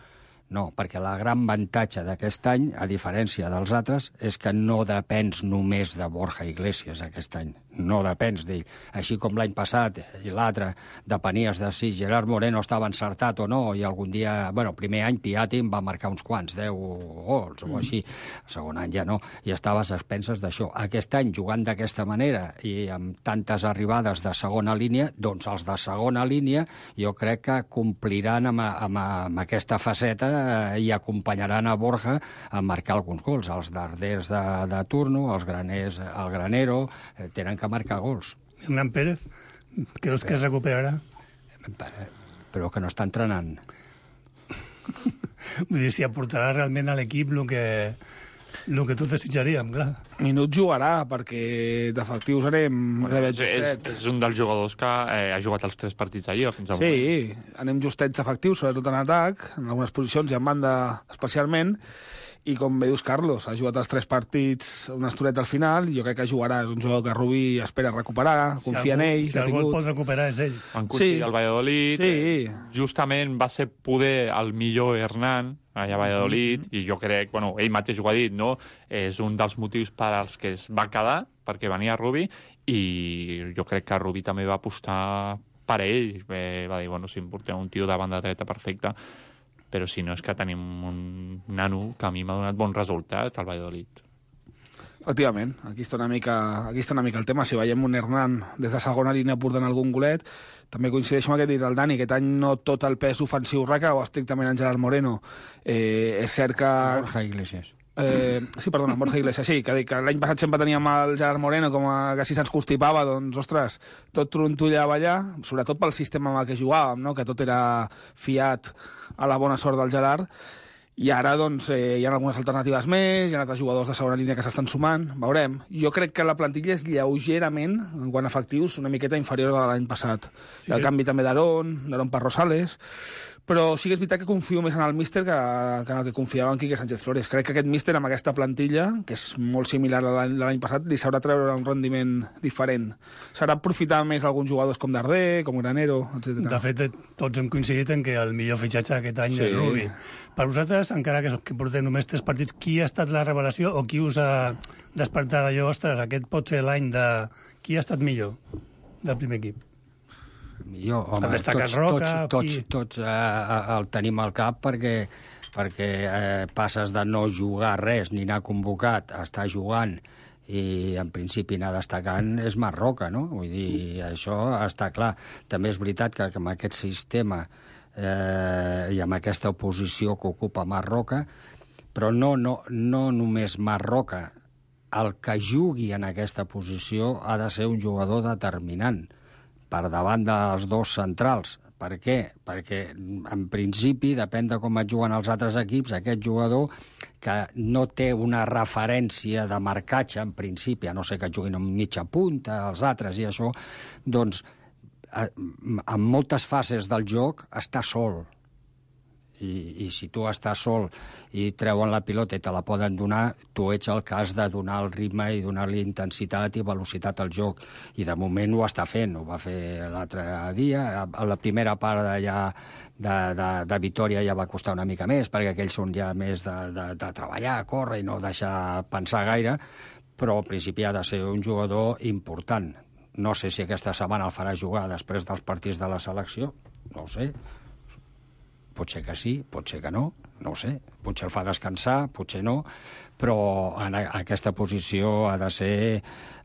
No, perquè la gran avantatge d'aquest any, a diferència dels altres, és que no depens només de Borja Iglesias aquest any. No depens d'ell. Així com l'any passat i l'altre depenies de si Gerard Moreno estava encertat o no, i algun dia, bueno, el primer any Piatti em va marcar uns quants, deu gols o així. El segon any ja no, i estaves a expenses d'això. Aquest any, jugant d'aquesta manera i amb tantes arribades de segona línia, doncs els de segona línia jo crec que compliran amb, amb, amb aquesta faceta i acompanyaran a Borja a marcar alguns gols. Els darders de, de turno, els graners, el granero, eh, tenen que marcar gols. Hernán Pérez, creus que es recuperarà? Però que no està entrenant. Vull dir, si aportarà realment a l'equip el que, el que tot desitjaríem, clar. Minut jugarà, perquè d'efectius anem... Bueno, és, és, és un dels jugadors que eh, ha jugat els tres partits allà fins avui. Sí, anem justets d'efectius, sobretot en atac, en algunes posicions i en banda especialment, i com bé dius, Carlos, ha jugat els tres partits una estoneta al final, jo crec que jugarà, és un jugador que Rubí espera recuperar, confia en ell, Si l'ha algú el tingut. pot recuperar és ell. Van aconseguir Sí. el Valladolid. Sí. Justament va ser poder el millor Hernán allà a Valladolid, Mm-hmm. i jo crec, bueno, ell mateix ho ha dit, no? És un dels motius per als que es va quedar, perquè venia Rubí, i jo crec que Rubí també va apostar per ell. Eh, va dir, bueno, si em porteu un tio de banda dreta perfecte, però si no és que tenim un nano que a mi m'ha donat bon resultat al Valladolid. Efectivament, aquí està, una mica, aquí està una mica el tema. Si veiem un Hernán des de segona línia portant algun golet, també coincideixo amb aquest dit del Dani, aquest any no tot el pes ofensiu recau estrictament en Gerard Moreno. Eh, és cert que... Borja Iglesias. Eh, sí, perdona, Borja Iglesias, sí, que, que l'any passat sempre teníem el Gerard Moreno com a, que si se'ns constipava, doncs, ostres, tot trontollava allà, sobretot pel sistema amb el que jugàvem, no? Que tot era fiat a la bona sort del Gerard, i ara, doncs, eh, hi ha algunes alternatives més, hi ha altres jugadors de segona línia que s'estan sumant, veurem. Jo crec que la plantilla és lleugerament, en quant a efectius, una miqueta inferior a l'any passat. Sí, Sí, el sí. canvi també d'Aron, d'Aron per Rosales, Però sí que és veritat que confio més en el míster que, que en el que confiava en Quique Sánchez Flores. Crec que aquest míster, amb aquesta plantilla, que és molt similar a l'any, l'any passat, li sabrà treure un rendiment diferent. Sabrà aprofitar més alguns jugadors com Darder, com Granero, etcètera. De fet, tots hem coincidit en que el millor fitxatge aquest any Sí. és Rubi. Per vosaltres, encara que, que portem només tres partits, qui ha estat la revelació o qui us ha despertat allò, ostres, aquest pot ser l'any de... Qui ha estat millor del primer equip? Millor, home, Ha destacat tots, Roca, tots, tots, qui? tots eh, el tenim al cap perquè, perquè eh, passes de no jugar res ni anar convocat a estar jugant i en principi anar destacant és Marc Roca, no? Vull dir, això està clar. També és veritat que, que amb aquest sistema eh, i amb aquesta oposició que ocupa Marc Roca, però no, no, no només Marc Roca, el que jugui en aquesta posició ha de ser un jugador determinant per davant dels dos centrals. Per què? Perquè, en principi, depèn de com et juguen els altres equips, aquest jugador que no té una referència de marcatge, en principi, a no ser que juguin amb mitja punta, els altres i això, doncs, en moltes fases del joc està sol. I, i si tu estàs sol i treuen la pilota i te la poden donar, tu ets el que has de donar el ritme i donar-li intensitat i velocitat al joc. I de moment ho està fent, ho va fer l'altre dia. A la primera part de, ja, de, de, de Vitòria ja va costar una mica més, perquè aquells són ja més de, de, de treballar, córrer i no deixar pensar gaire, però al principi ha de ser un jugador important. No sé si aquesta setmana el farà jugar després dels partits de la selecció, no ho sé. Pot ser que sí, pot ser que no, no ho sé. Potser el fa descansar, potser no, però en aquesta posició ha de ser,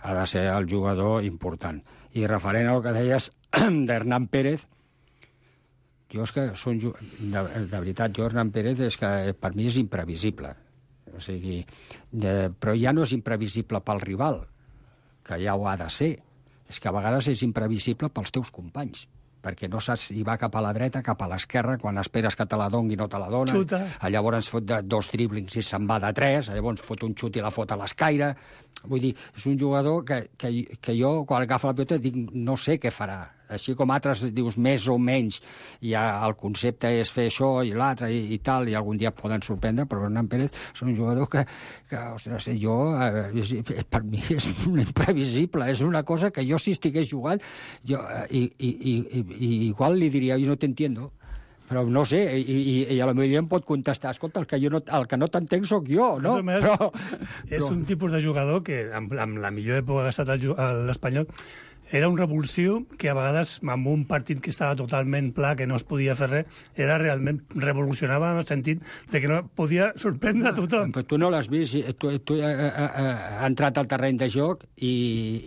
ha de ser el jugador important. I referent al que deies d'Hernán Pérez, jo és que són, de, de veritat, jo Hernán Pérez és que per mi és imprevisible. O sigui, de, però ja no és imprevisible pel rival, que ja ho ha de ser. És que a vegades és imprevisible pels teus companys, perquè no saps si va cap a la dreta, cap a l'esquerra, quan esperes que te la doni i no te la dona. Xuta. Llavors fot de dos driblings i se'n va de tres, llavors fot un xut i la fot a l'escaire. Vull dir, és un jugador que, que, que jo, quan agafa la pilota, dic, no sé què farà. Així com altres dius més o menys, ja el concepte és fer això i l'altre i, i tal, i algun dia poden sorprendre, però Hernán Pérez és un jugador que, que ostres, jo, eh, és, per mi és imprevisible, és una cosa que jo si estigués jugant, jo, eh, i, i, i, i igual li diria, jo no t'entiendo, però no sé, i, i, i a la majoria em pot contestar, escolta, el que, jo no, el que no t'entenc sóc jo, no? Més, però, és però... un tipus de jugador que, amb, amb la millor època que ha estat l'Espanyol, era un revulsiu que a vegades, amb un partit que estava totalment pla, que no es podia fer res, era realment revolucionava en el sentit de que no podia sorprendre a tothom. Però tu no l'has vist, tu, tu ha, ha, ha entrat al terreny de joc i,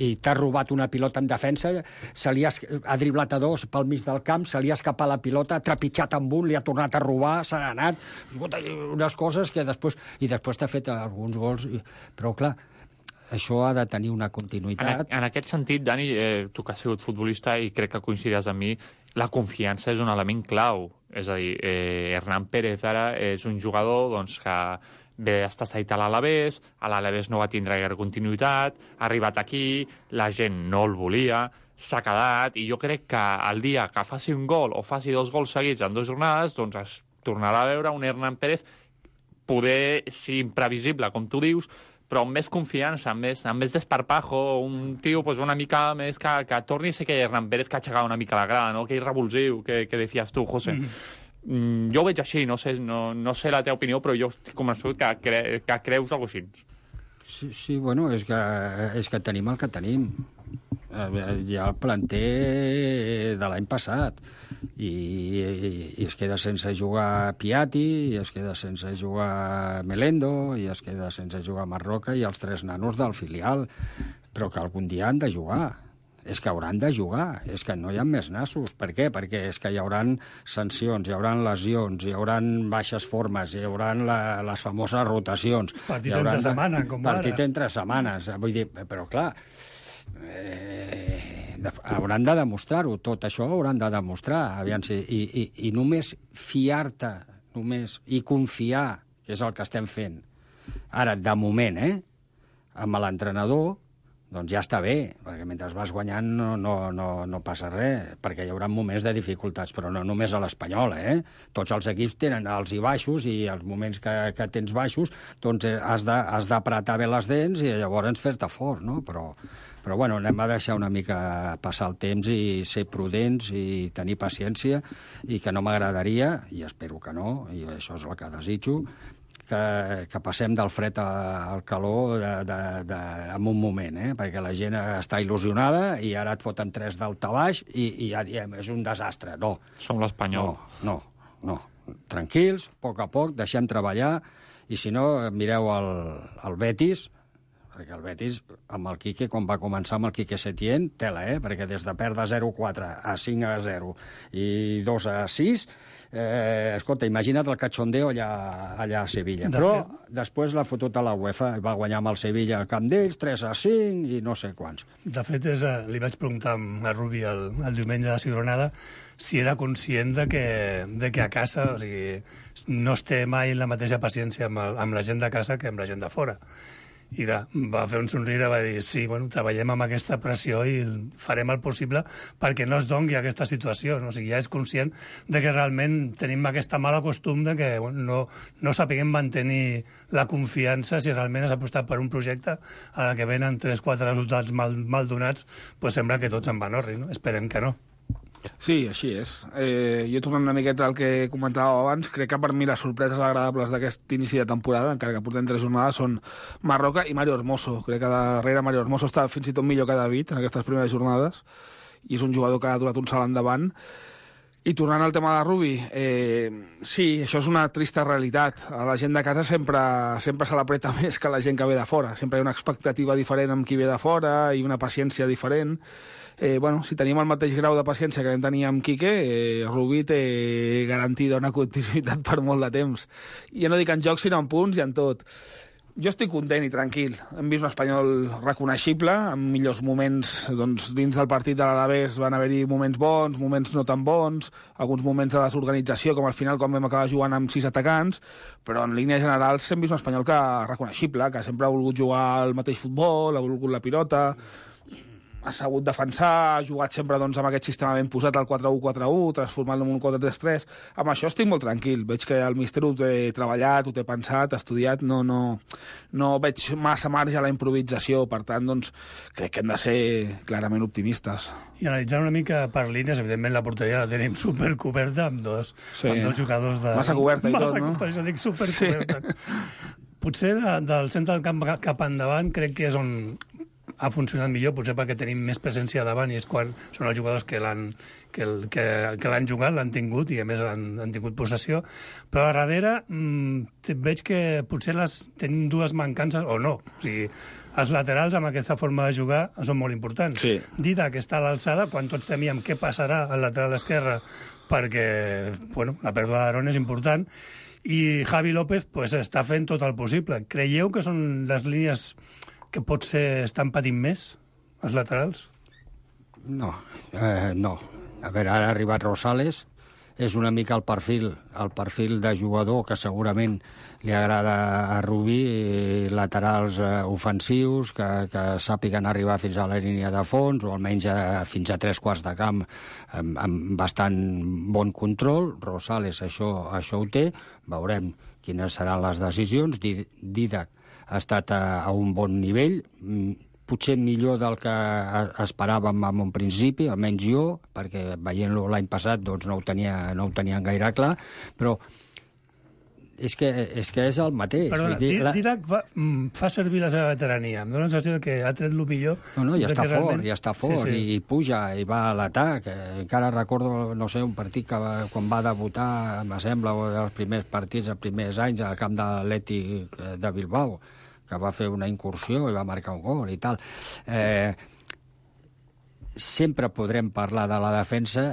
i t'ha robat una pilota en defensa, se li ha, ha driblat a dos pel mig del camp, se li ha escapat la pilota, ha trepitjat amb un, li ha tornat a robar, s'ha anat, unes coses que després... I després t'ha fet alguns gols, però clar, això ha de tenir una continuïtat. En, en aquest sentit, Dani, eh, tu que has sigut futbolista i crec que coincidiràs amb mi, la confiança és un element clau. És a dir, eh, Hernán Pérez ara és un jugador doncs, que ve estar cedit a l'Alavés, a l'Alavés no va tindre gaire continuïtat, ha arribat aquí, la gent no el volia, s'ha quedat, i jo crec que el dia que faci un gol o faci dos gols seguits en dues jornades, doncs es tornarà a veure un Hernán Pérez poder ser imprevisible, com tu dius, però amb més confiança, amb més, amb més desparpajo, un tio pues, una mica més que, que torni a ser aquell Hernán Pérez que ha aixecat una mica la grada, no? Aquell revulsiu que, que deies tu, José. Mm. Mm, jo ho veig així, no sé, no, no sé la teva opinió, però jo estic convençut que, cre que creus alguna cosa així. Sí, sí, bueno, és que, és que tenim el que tenim. Hi ha el planter de l'any passat i, i, i es queda sense jugar Piatti, i es queda sense jugar Melendo, i es queda sense jugar Marroca i els tres nanos del filial, però que algun dia han de jugar. És que hauran de jugar, és que no hi ha més nassos. Per què? Perquè és que hi haurà sancions, hi haurà lesions, hi haurà baixes formes, hi haurà la, les famoses rotacions. Partit entre setmana, com ara. Partit entre setmanes, vull dir, però clar, eh, hauran de demostrar-ho, tot això ho hauran de demostrar, aviam si, i, i, i només fiar-te, només, i confiar, que és el que estem fent. Ara, de moment, eh, amb l'entrenador, doncs ja està bé, perquè mentre vas guanyant no, no, no, no passa res, perquè hi haurà moments de dificultats, però no només a l'Espanyol, eh? Tots els equips tenen alts i baixos, i els moments que, que tens baixos, doncs has de, has d'apretar bé les dents i llavors fer-te fort, no? Però, però bueno, anem a deixar una mica passar el temps i ser prudents i tenir paciència, i que no m'agradaria, i espero que no, i això és el que desitjo, que, que passem del fred al calor de, de, de, en un moment, eh? Perquè la gent està il·lusionada i ara et foten tres d'alta baix i, i ja diem, és un desastre. No. Som l'Espanyol. No, no, no. Tranquils, a poc a poc, deixem treballar, i si no, mireu el, el Betis, perquè el Betis, amb el Quique, quan va començar amb el Quique Setién, tela, eh? Perquè des de perdre zero a quatre a cinc a zero i dos a sis... Eh, escolta, imagina't el cachondeo allà, allà a Sevilla. De Però fet... després l'ha fotut a la UEFA, va guanyar amb el Sevilla al camp d'ells, tres a cinc i no sé quants. De fet, és, li vaig preguntar a Rubi el, el diumenge de la Ciutadana si era conscient de que, de que a casa, o sigui, no es té mai la mateixa paciència amb, el, amb la gent de casa que amb la gent de fora. I va, va fer un somriure, va dir, sí, bueno, treballem amb aquesta pressió i farem el possible perquè no es dongui aquesta situació. No? O sigui, ja és conscient de que realment tenim aquesta mala costum de que bueno, no, no sapiguem mantenir la confiança si realment has apostat per un projecte a la que venen tres o quatre resultats mal, mal donats, pues sembla que tots en van orri, no? Esperem que no. Sí, així és. Eh, jo tornant una miqueta al que comentàveu abans, crec que per mi les sorpreses agradables d'aquest inici de temporada, encara que portem tres jornades, són Marroca i Mario Hermoso. Crec que darrere Mario Hermoso està fins i tot millor que David en aquestes primeres jornades, i és un jugador que ha donat un salt endavant. I tornant al tema de Rubi, eh, sí, això és una trista realitat. A la gent de casa sempre, sempre se l'apreta més que la gent que ve de fora. Sempre hi ha una expectativa diferent amb qui ve de fora i una paciència diferent. Eh, bueno, si tenim el mateix grau de paciència que vam tenir amb Quique, eh, Rubi té garantida una continuïtat per molt de temps. I ja no dic en joc, sinó en punts i en tot. Jo estic content i tranquil. Hem vist un Espanyol reconeixible, amb millors moments doncs, dins del partit de l'Alavés. Van haver-hi moments bons, moments no tan bons, alguns moments de desorganització, com al final quan vam acabar jugant amb sis atacants, però en línies generals hem vist un Espanyol que reconeixible, que sempre ha volgut jugar al mateix futbol, ha volgut la pilota, ha sabut defensar, ha jugat sempre doncs, amb aquest sistema ben posat, el quatre u quatre u, transformant-lo en un quatre tres tres. Amb això estic molt tranquil. Veig que el míster ho té treballat, ho té pensat, estudiat, no, no, no veig massa marge a la improvisació, per tant, doncs, crec que hem de ser clarament optimistes. I analitzant una mica per línies, evidentment la porteria la tenim supercoberta amb dos, sí. amb dos jugadors de... Massa coberta i Massa, tot, no? Per això dic supercoberta. Sí. Potser de, del centre del camp cap endavant crec que és on ha funcionat millor, potser perquè tenim més presència davant i és quan són els jugadors que l'han que, el, que, que l'han jugat, l'han tingut i a més han, han tingut possessió, però a darrere mmm, veig que potser les tenim dues mancances o no, o sigui, els laterals amb aquesta forma de jugar són molt importants. Sí. Dida, que està a l'alçada, quan tots temíem què passarà al lateral esquerre perquè bueno, la pèrdua d'Aaron és important, i Javi López pues, està fent tot el possible. Creieu que són les línies que potser estan patint més, els laterals? No, eh, no. A veure, ara ha arribat Rosales, és una mica el perfil, el perfil de jugador que segurament li agrada a Rubí, laterals eh, ofensius, que, que sàpiguen arribar fins a la línia de fons, o almenys a, fins a tres quarts de camp amb, amb bastant bon control. Rosales això, això ho té, veurem quines seran les decisions. Didac ha estat a, a un bon nivell, potser millor del que esperàvem en un principi, almenys jo, perquè veient-lo l'any passat doncs no ho tenia, no ho tenien gaire clar, però és que és, que és el mateix. Perdona, dir, la... Didac fa, fa servir la seva veterania. Em dóna la sensació que ha tret el millor. No, no, ja està fort, realment... ja està fort, sí, sí. I, i puja, i va a l'atac. Encara recordo, no sé, un partit que va, quan va debutar, me sembla, els primers partits, els primers anys, al camp de l'Atlètic de Bilbao, que va fer una incursió i va marcar un gol i tal. Eh, sempre podrem parlar de la defensa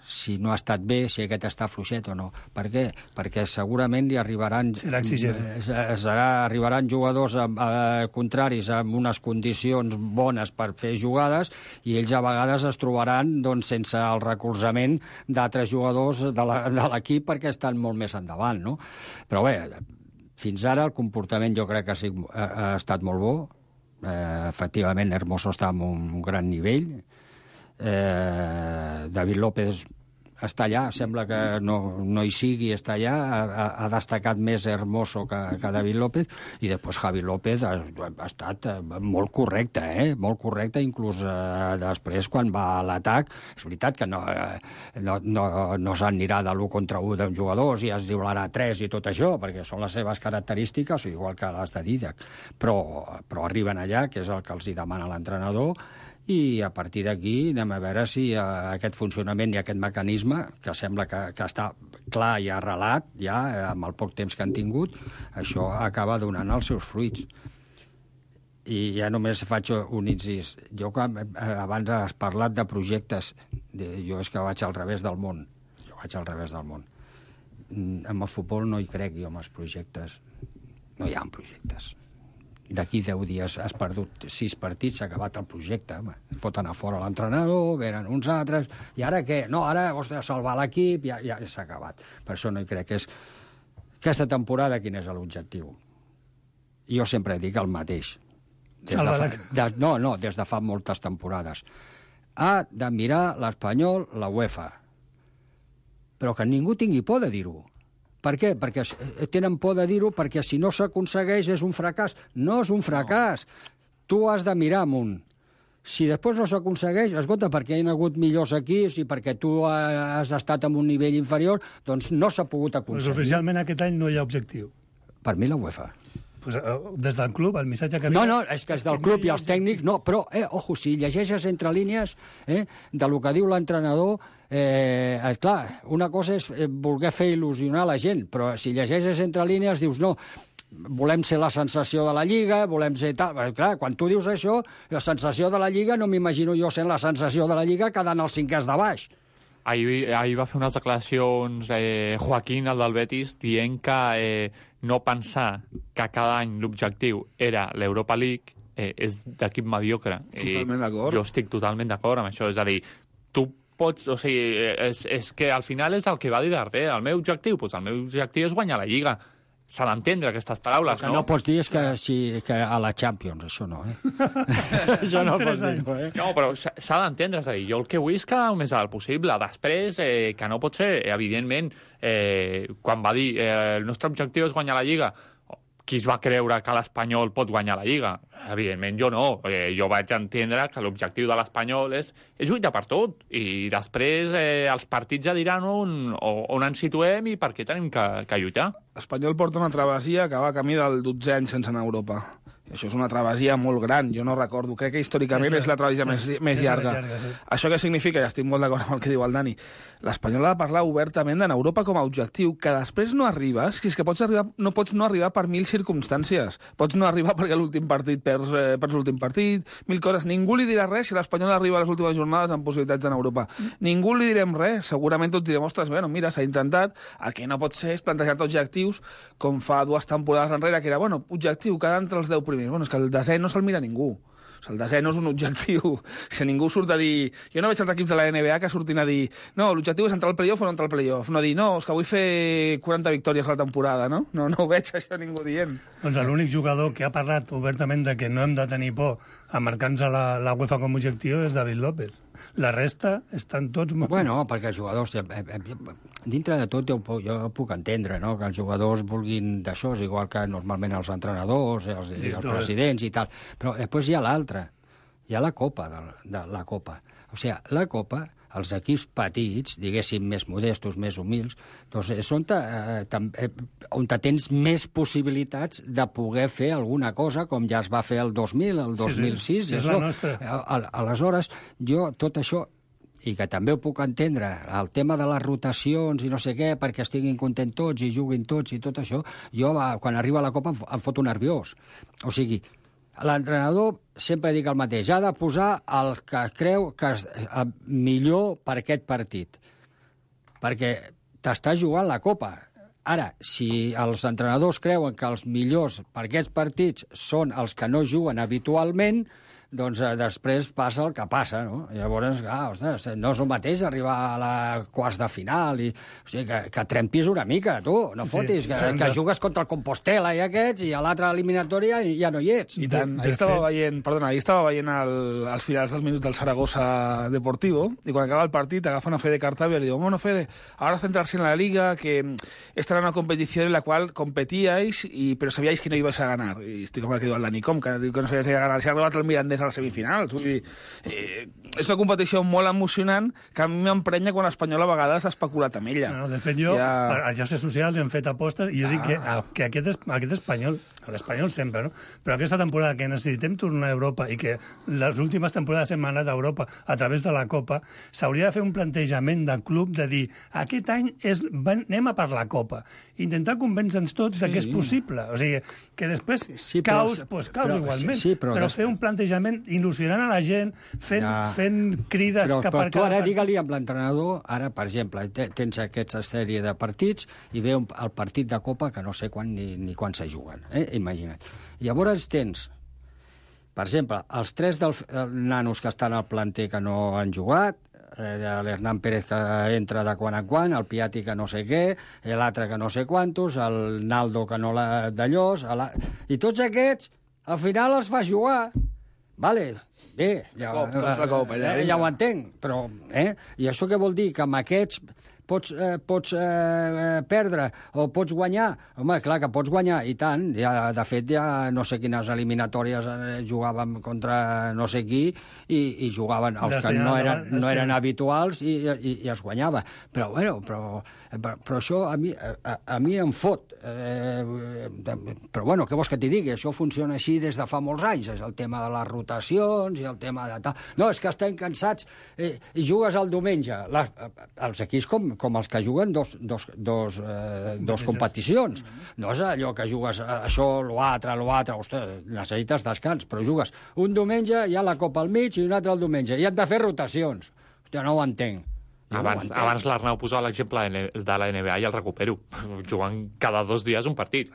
si no ha estat bé, si aquest està fluixet o no. Per què? Perquè segurament hi arribaran... Serà exigent. Serà, arribaran jugadors amb, eh, contraris amb unes condicions bones per fer jugades i ells a vegades es trobaran doncs, sense el recolzament d'altres jugadors de l'equip perquè estan molt més endavant, no? Però bé, fins ara el comportament jo crec que ha, sigut, ha, ha estat molt bo. Eh, efectivament, Hermoso està en un gran nivell. Eh, David López està allà, sembla que no, no hi sigui, està allà, ha, ha destacat més Hermoso que, que David López, i després Javi López ha, ha estat molt correcte, eh? molt correcte, inclús eh, després quan va a l'atac. És veritat que no, eh, no, no, no s'anirà de l'u contra u d'un jugador i es diularà tres i tot això, perquè són les seves característiques, igual que les de Dídac, però, però arriben allà, que és el que els hi demana l'entrenador, i a partir d'aquí anem a veure si eh, aquest funcionament i aquest mecanisme, que sembla que, que està clar i arrelat ja eh, amb el poc temps que han tingut, això acaba donant els seus fruits. I ja només faig un incís. Jo, quan, eh, abans has parlat de projectes, de, jo és que vaig al revés del món. Jo vaig al revés del món. Amb el futbol no hi crec jo, amb els projectes. No hi ha projectes. D'aquí deu dies has perdut sis partits, s'ha acabat el projecte. Foten a fora l'entrenador, venen uns altres, i ara què? No, ara, ostres, salvar l'equip, ja, ja s'ha acabat. Per això no hi crec. És... Aquesta temporada, quin és l'objectiu? Jo sempre dic el mateix. Des de fa... de... No, no, des de fa moltes temporades. Ha de mirar l'Espanyol, la UEFA. Però que ningú tingui por de dir-ho. Per què? Perquè tenen por de dir-ho, perquè si no s'aconsegueix és un fracàs. No és un fracàs. No. Tu has de mirar amunt. Si després no s'aconsegueix, escolta, perquè hi ha hagut millors equips i perquè tu has estat en un nivell inferior, doncs no s'ha pogut aconseguir. Pues oficialment aquest any no hi ha objectiu. Per mi la UEFA. Pues, des del club, el missatge que... No, no, és que és del club i els tècnics, no, però, eh, ojo, si llegeixes entre línies eh, de lo que diu l'entrenador, eh, eh, clar, una cosa és voler fer il·lusionar la gent, però si llegeixes entre línies dius, no, volem ser la sensació de la Lliga, volem ser tal... Clar, quan tu dius això, la sensació de la Lliga, no m'imagino jo sent la sensació de la Lliga quedant els cinquers de baix. Ahir, ahir va fer unes declaracions eh, Joaquín, el del Betis, dient que eh, no pensar que cada any l'objectiu era l'Europa League eh, és d'equip mediocre. Totalment d'acord. Jo estic totalment d'acord amb això. És a dir, tu pots... O sigui, és, és que al final és el que va dir Darder. El meu objectiu? Doncs el meu objectiu és guanyar la Lliga. S'ha d'entendre aquestes paraules, no? no? No pots dir és que, si, que a la Champions, això no, eh? Això no pots dir, eh? No, però s'ha d'entendre, és a dir, jo el que vull és quedar el més alt possible. Després, eh, que no pot ser, evidentment, eh, quan va dir eh, el nostre objectiu és guanyar la Lliga, qui es va creure que l'Espanyol pot guanyar la Lliga? Evidentment, jo no. Eh, jo vaig entendre que l'objectiu de l'Espanyol és, és lluitar per tot. I després eh, els partits ja diran on, on ens situem i per què tenim que, que lluitar. L'Espanyol porta una travessia que va camí del dotzè any sense anar a Europa. I això és una travessia molt gran, jo no recordo. Crec que històricament és, és la travessia més, més llarga. llarga sí. Això què significa? I estic molt d'acord amb el que diu el Dani. L'Espanyol ha de parlar obertament d'anar a Europa com a objectiu, que després no arribes, que és que pots arribar, no pots no arribar per mil circumstàncies. Pots no arribar perquè l'últim partit perds, eh, perds l'últim partit, mil coses. Ningú li dirà res si l'Espanyol arriba a les últimes jornades amb possibilitats d'anar a Europa. Mm. Ningú li direm res. Segurament tots direm, ostres, bueno, mira, s'ha intentat. El que no pot ser és plantejar-te objectius com fa dues temporades enrere, que era, bueno, objectiu, quedar entre els deu primers. Bueno, és que el desè no se'l mira ningú. O sigui, el desè no és un objectiu. Si ningú surt a dir... Jo no veig els equips de la N B A que surtin a dir no, l'objectiu és entrar al playoff o no entrar al playoff. No dir, no, és que vull fer quaranta victòries a la temporada, no? No, no ho veig això ningú dient. Doncs l'únic jugador que ha parlat obertament de que no hem de tenir por a marcar-nos a la, la UEFA com a objectiu és David López. La resta estan tots... Molt... Bueno, perquè els jugadors... Eh, eh, dintre de tot jo, jo puc entendre, no?, que els jugadors vulguin d'això, és igual que normalment els entrenadors, els, sí, els presidents i tal. Però després hi ha l'altre. Hi ha la Copa, de, de la Copa. O sigui, la Copa, els equips petits, diguéssim, més modestos, més humils, doncs és on, te, eh, on te tens més possibilitats de poder fer alguna cosa, com ja es va fer el dos mil, el dos mil sis. Sí, sí, és això. la nostra. Aleshores, jo tot això, i que també ho puc entendre, el tema de les rotacions i no sé què, perquè estiguin contents tots i juguin tots i tot això, jo quan arriba a la Copa em foto nerviós. O sigui, l'entrenador, sempre dic el mateix, ha de posar el que creu que és millor per aquest partit, perquè t'està jugant la Copa. Ara, si els entrenadors creuen que els millors per aquests partits són els que no juguen habitualment, doncs eh, després passa el que passa, no? Llavors, clar, ostres, no és el mateix arribar a la quarts de final i... O sigui, que, que trempis una mica, tu, no Sí, fotis, sí. que, que jugues contra el Compostela i aquests, i a l'altra eliminatòria ja no hi ets. I tant. De- Ahir de estava fet- veient, perdona, ahir estava veient el, els finals dels minuts del Zaragoza Deportivo, i quan acaba el partit agafen a Fede Cartavia y le digo, bueno, Fede, ahora centrarse en la Liga, que esta era una competición en la cual competíais, y, pero sabíais que no ibais a ganar. I estic com el que diu el Dani Com, que diu que no sabíais que ganar. Si ha arribat el Mirandés a les semifinals. Vull dir, eh, és una competició molt emocionant que a mi m'emprenya quan l'Espanyol a vegades ha especulat amb ella. No, de fet, jo, Ja- ja... a xarxes socials hem fet apostes i jo Ah. dic que, que aquest, es- aquest espanyol, l'espanyol sempre, no? Però aquesta temporada que necessitem tornar a Europa i que les últimes temporades hem anat a Europa a través de la Copa, s'hauria de fer un plantejament de club de dir aquest any és, van, anem a per la Copa. Intentar convèncer-nos tots sí. que és possible. O sigui, que després Sí, però- caus, doncs caus però- igualment. sí, però però des- fer un plantejament il·lusionant a la gent, fent, Ja. fent crides Però, cap però a tu ara digue-li amb l'entrenador, ara, per exemple, te- tens aquesta sèrie de partits i ve un, el partit de Copa que no sé quan ni, ni quan se juguen, eh? Imagina't. Llavors tens, per exemple, els tres dels eh, nanos que estan al planter que no han jugat, eh, l'Hernán Pérez que entra de quan a quan, el Piatti que no sé què, l'altre que no sé quantos, el Naldo que no l'ha d'allòs, la... i tots aquests, al final els fa jugar. Vale, bé, ja, Cop, tots de cop, allà, eh, ja ho entenc, però... Eh? I això què vol dir? Que amb aquests pots, eh, pots eh, perdre o pots guanyar? Home, clar que pots guanyar, i tant. Ja, de fet, ja no sé quines eliminatòries eh, jugàvem contra no sé qui i, i jugaven els que no eren, no eren habituals i, i, i es guanyava. Però, bueno, però, però això a mi, a, a mi em fot. Eh, però, bueno, què vols que t'hi digui? Això funciona així des de fa molts anys. És el tema de les rotacions i el tema de tal... No, és que estem cansats eh, i jugues el diumenge. Les, els equips com, com els que juguen dos, dos, dos, eh, dos competicions. No és allò que jugues això, l'altre, l'altre, ostres, necessites descans, però jugues un diumenge, hi ha la Copa al mig i un altre el diumenge, i han de fer rotacions. Hòstia, no ho entenc. Jo no ho Abans, entenc. abans l'Arnau posava l'exemple de la N B A i el recupero. Jugant cada dos dies un partit.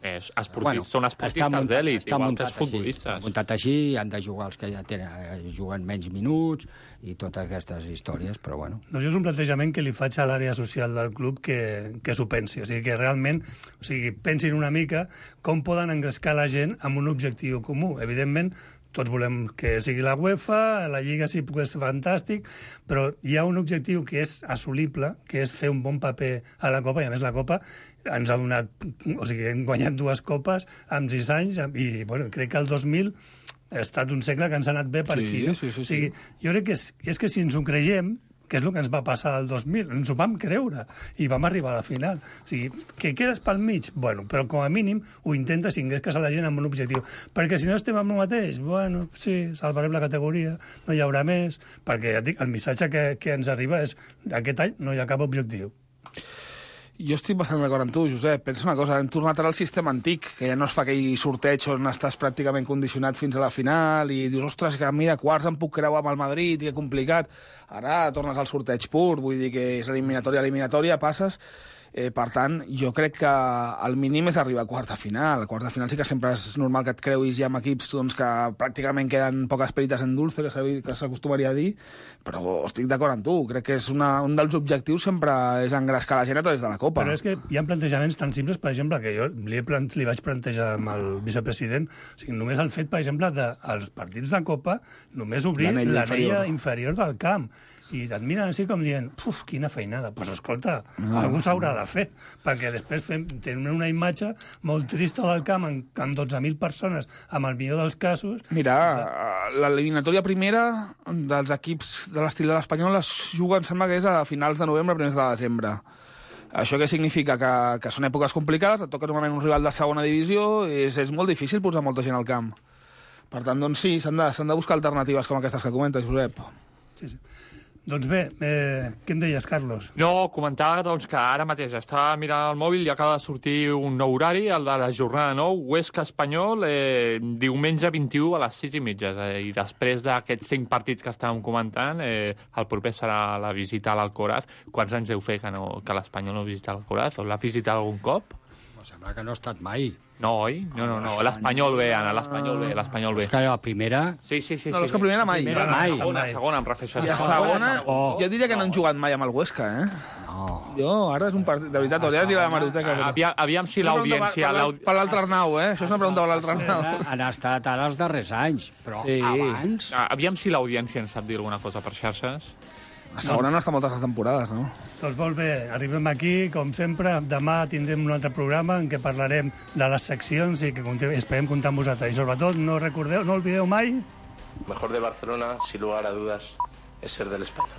És, esportistes, bueno, són esportistes d'èlit, igual que els futbolistes. Així, muntat així, han de jugar els que ja tenen, eh, juguen menys minuts i totes aquestes històries, però bueno. Doncs jo és un plantejament que li faig a l'àrea social del club que, que s'ho pensi. O sigui, que realment o sigui, pensin una mica com poden engrescar la gent amb un objectiu comú. Evidentment, tots volem que sigui la UEFA, la Lliga sí que és fantàstic, però hi ha un objectiu que és assolible, que és fer un bon paper a la Copa, i a més la Copa ens ha donat... O sigui, hem guanyat dues copes en sis anys, i bueno, crec que el dos mil ha estat un segle que ens ha anat bé per Sí, aquí. No? sí, sí, sí. O sigui, jo crec que és, és que si ens ho creiem, que és el que ens va passar el dos mil, ens ho vam creure i vam arribar a la final. O sigui, que quedes pel mig? Bueno, però com a mínim ho intentes i engresques a la gent amb un objectiu. Perquè si no estem amb el mateix, bueno, sí, salvarem la categoria, no hi haurà més, perquè ja et dic, el missatge que, que ens arriba és aquest any no hi ha cap objectiu. Jo estic bastant d'acord amb tu, Josep. Pensa una cosa, hem tornat ara al sistema antic, que ja no es fa aquell sorteig on estàs pràcticament condicionat fins a la final i dius, ostres, que a mi a quarts em puc creuar amb el Madrid, que complicat. Ara tornes al sorteig pur, vull dir que és eliminatòria, eliminatòria, passes... Eh, per tant, jo crec que el mínim és arribar a quarts de final. A quarts de final sí que sempre és normal que et creuis ja amb equips doncs, que pràcticament queden poques perites en dulce, que s'acostumaria a dir, però estic d'acord amb tu. Crec que és una, un dels objectius sempre és engrescar la gent a través de la Copa. Però és que hi ha plantejaments tan simples, per exemple, que jo li, he plant, li vaig plantejar amb el vicepresident, o sigui, només el fet, per exemple, dels partits de Copa, només obrir l'anella inferior. inferior del camp. I et miren així com dient, puf, quina feinada. Doncs pues, escolta, no, algú s'haurà de fer, perquè després fem, tenim una imatge molt trista del camp amb, amb dotze mil persones, amb el millor dels casos. Mira, l'eliminatòria primera dels equips de l'estil de l'Espanyol es juga, em sembla que és a finals de novembre, primers de desembre. Això què significa? Que, que són èpoques complicades, et toca normalment un rival de segona divisió, és, és molt difícil posar molta gent al camp. Per tant, doncs sí, s'han de, s'han de buscar alternatives com aquestes que comentes, Josep. Sí, sí. Doncs bé, eh, què em deies, Carlos? No, comentava doncs, que ara mateix estava mirant el mòbil i acaba de sortir un nou horari, el de la jornada nou, Huesca Espanyol, eh, diumenge vint-i-u a les sis i mitja. Eh, I després d'aquests cinc partits que estàvem comentant, eh, el proper serà la visita a l'Alcoraz. Quants anys deu fer que, no, que l'Espanyol no visita l'Alcoraz? O l'ha visitat algun cop? Però sembla que no ha estat mai. No, oi? No, no, no. L'Espanyol B, Anna, l'Espanyol B, l'Espanyol B. És que la primera... Sí, sí, sí. No, és que primera mai. Primera mai. Segona, segona, em refereixo. I a segona, jo diria que no han jugat mai amb el Huesca, eh? No. Jo, ara és un partit... De veritat, hauria de tirar la maroteca. Però... Aviam, aviam si l'audiència... Per l'altre Arnau, eh? Això és una pregunta per l'altre Arnau. Han estat ara els darrers anys, però Sí. abans... Aviam si l'audiència ens sap dir alguna cosa per xarxes. A segona no està moltes les temporades, no? Doncs molt bé, arribem aquí, com sempre. Demà tindrem un altre programa en què parlarem de les seccions i que continu- esperem comptar amb vosaltres. I sobretot, no recordeu, no oblideu mai... Mejor de Barcelona, sin lugar a dudas, es ser del Español.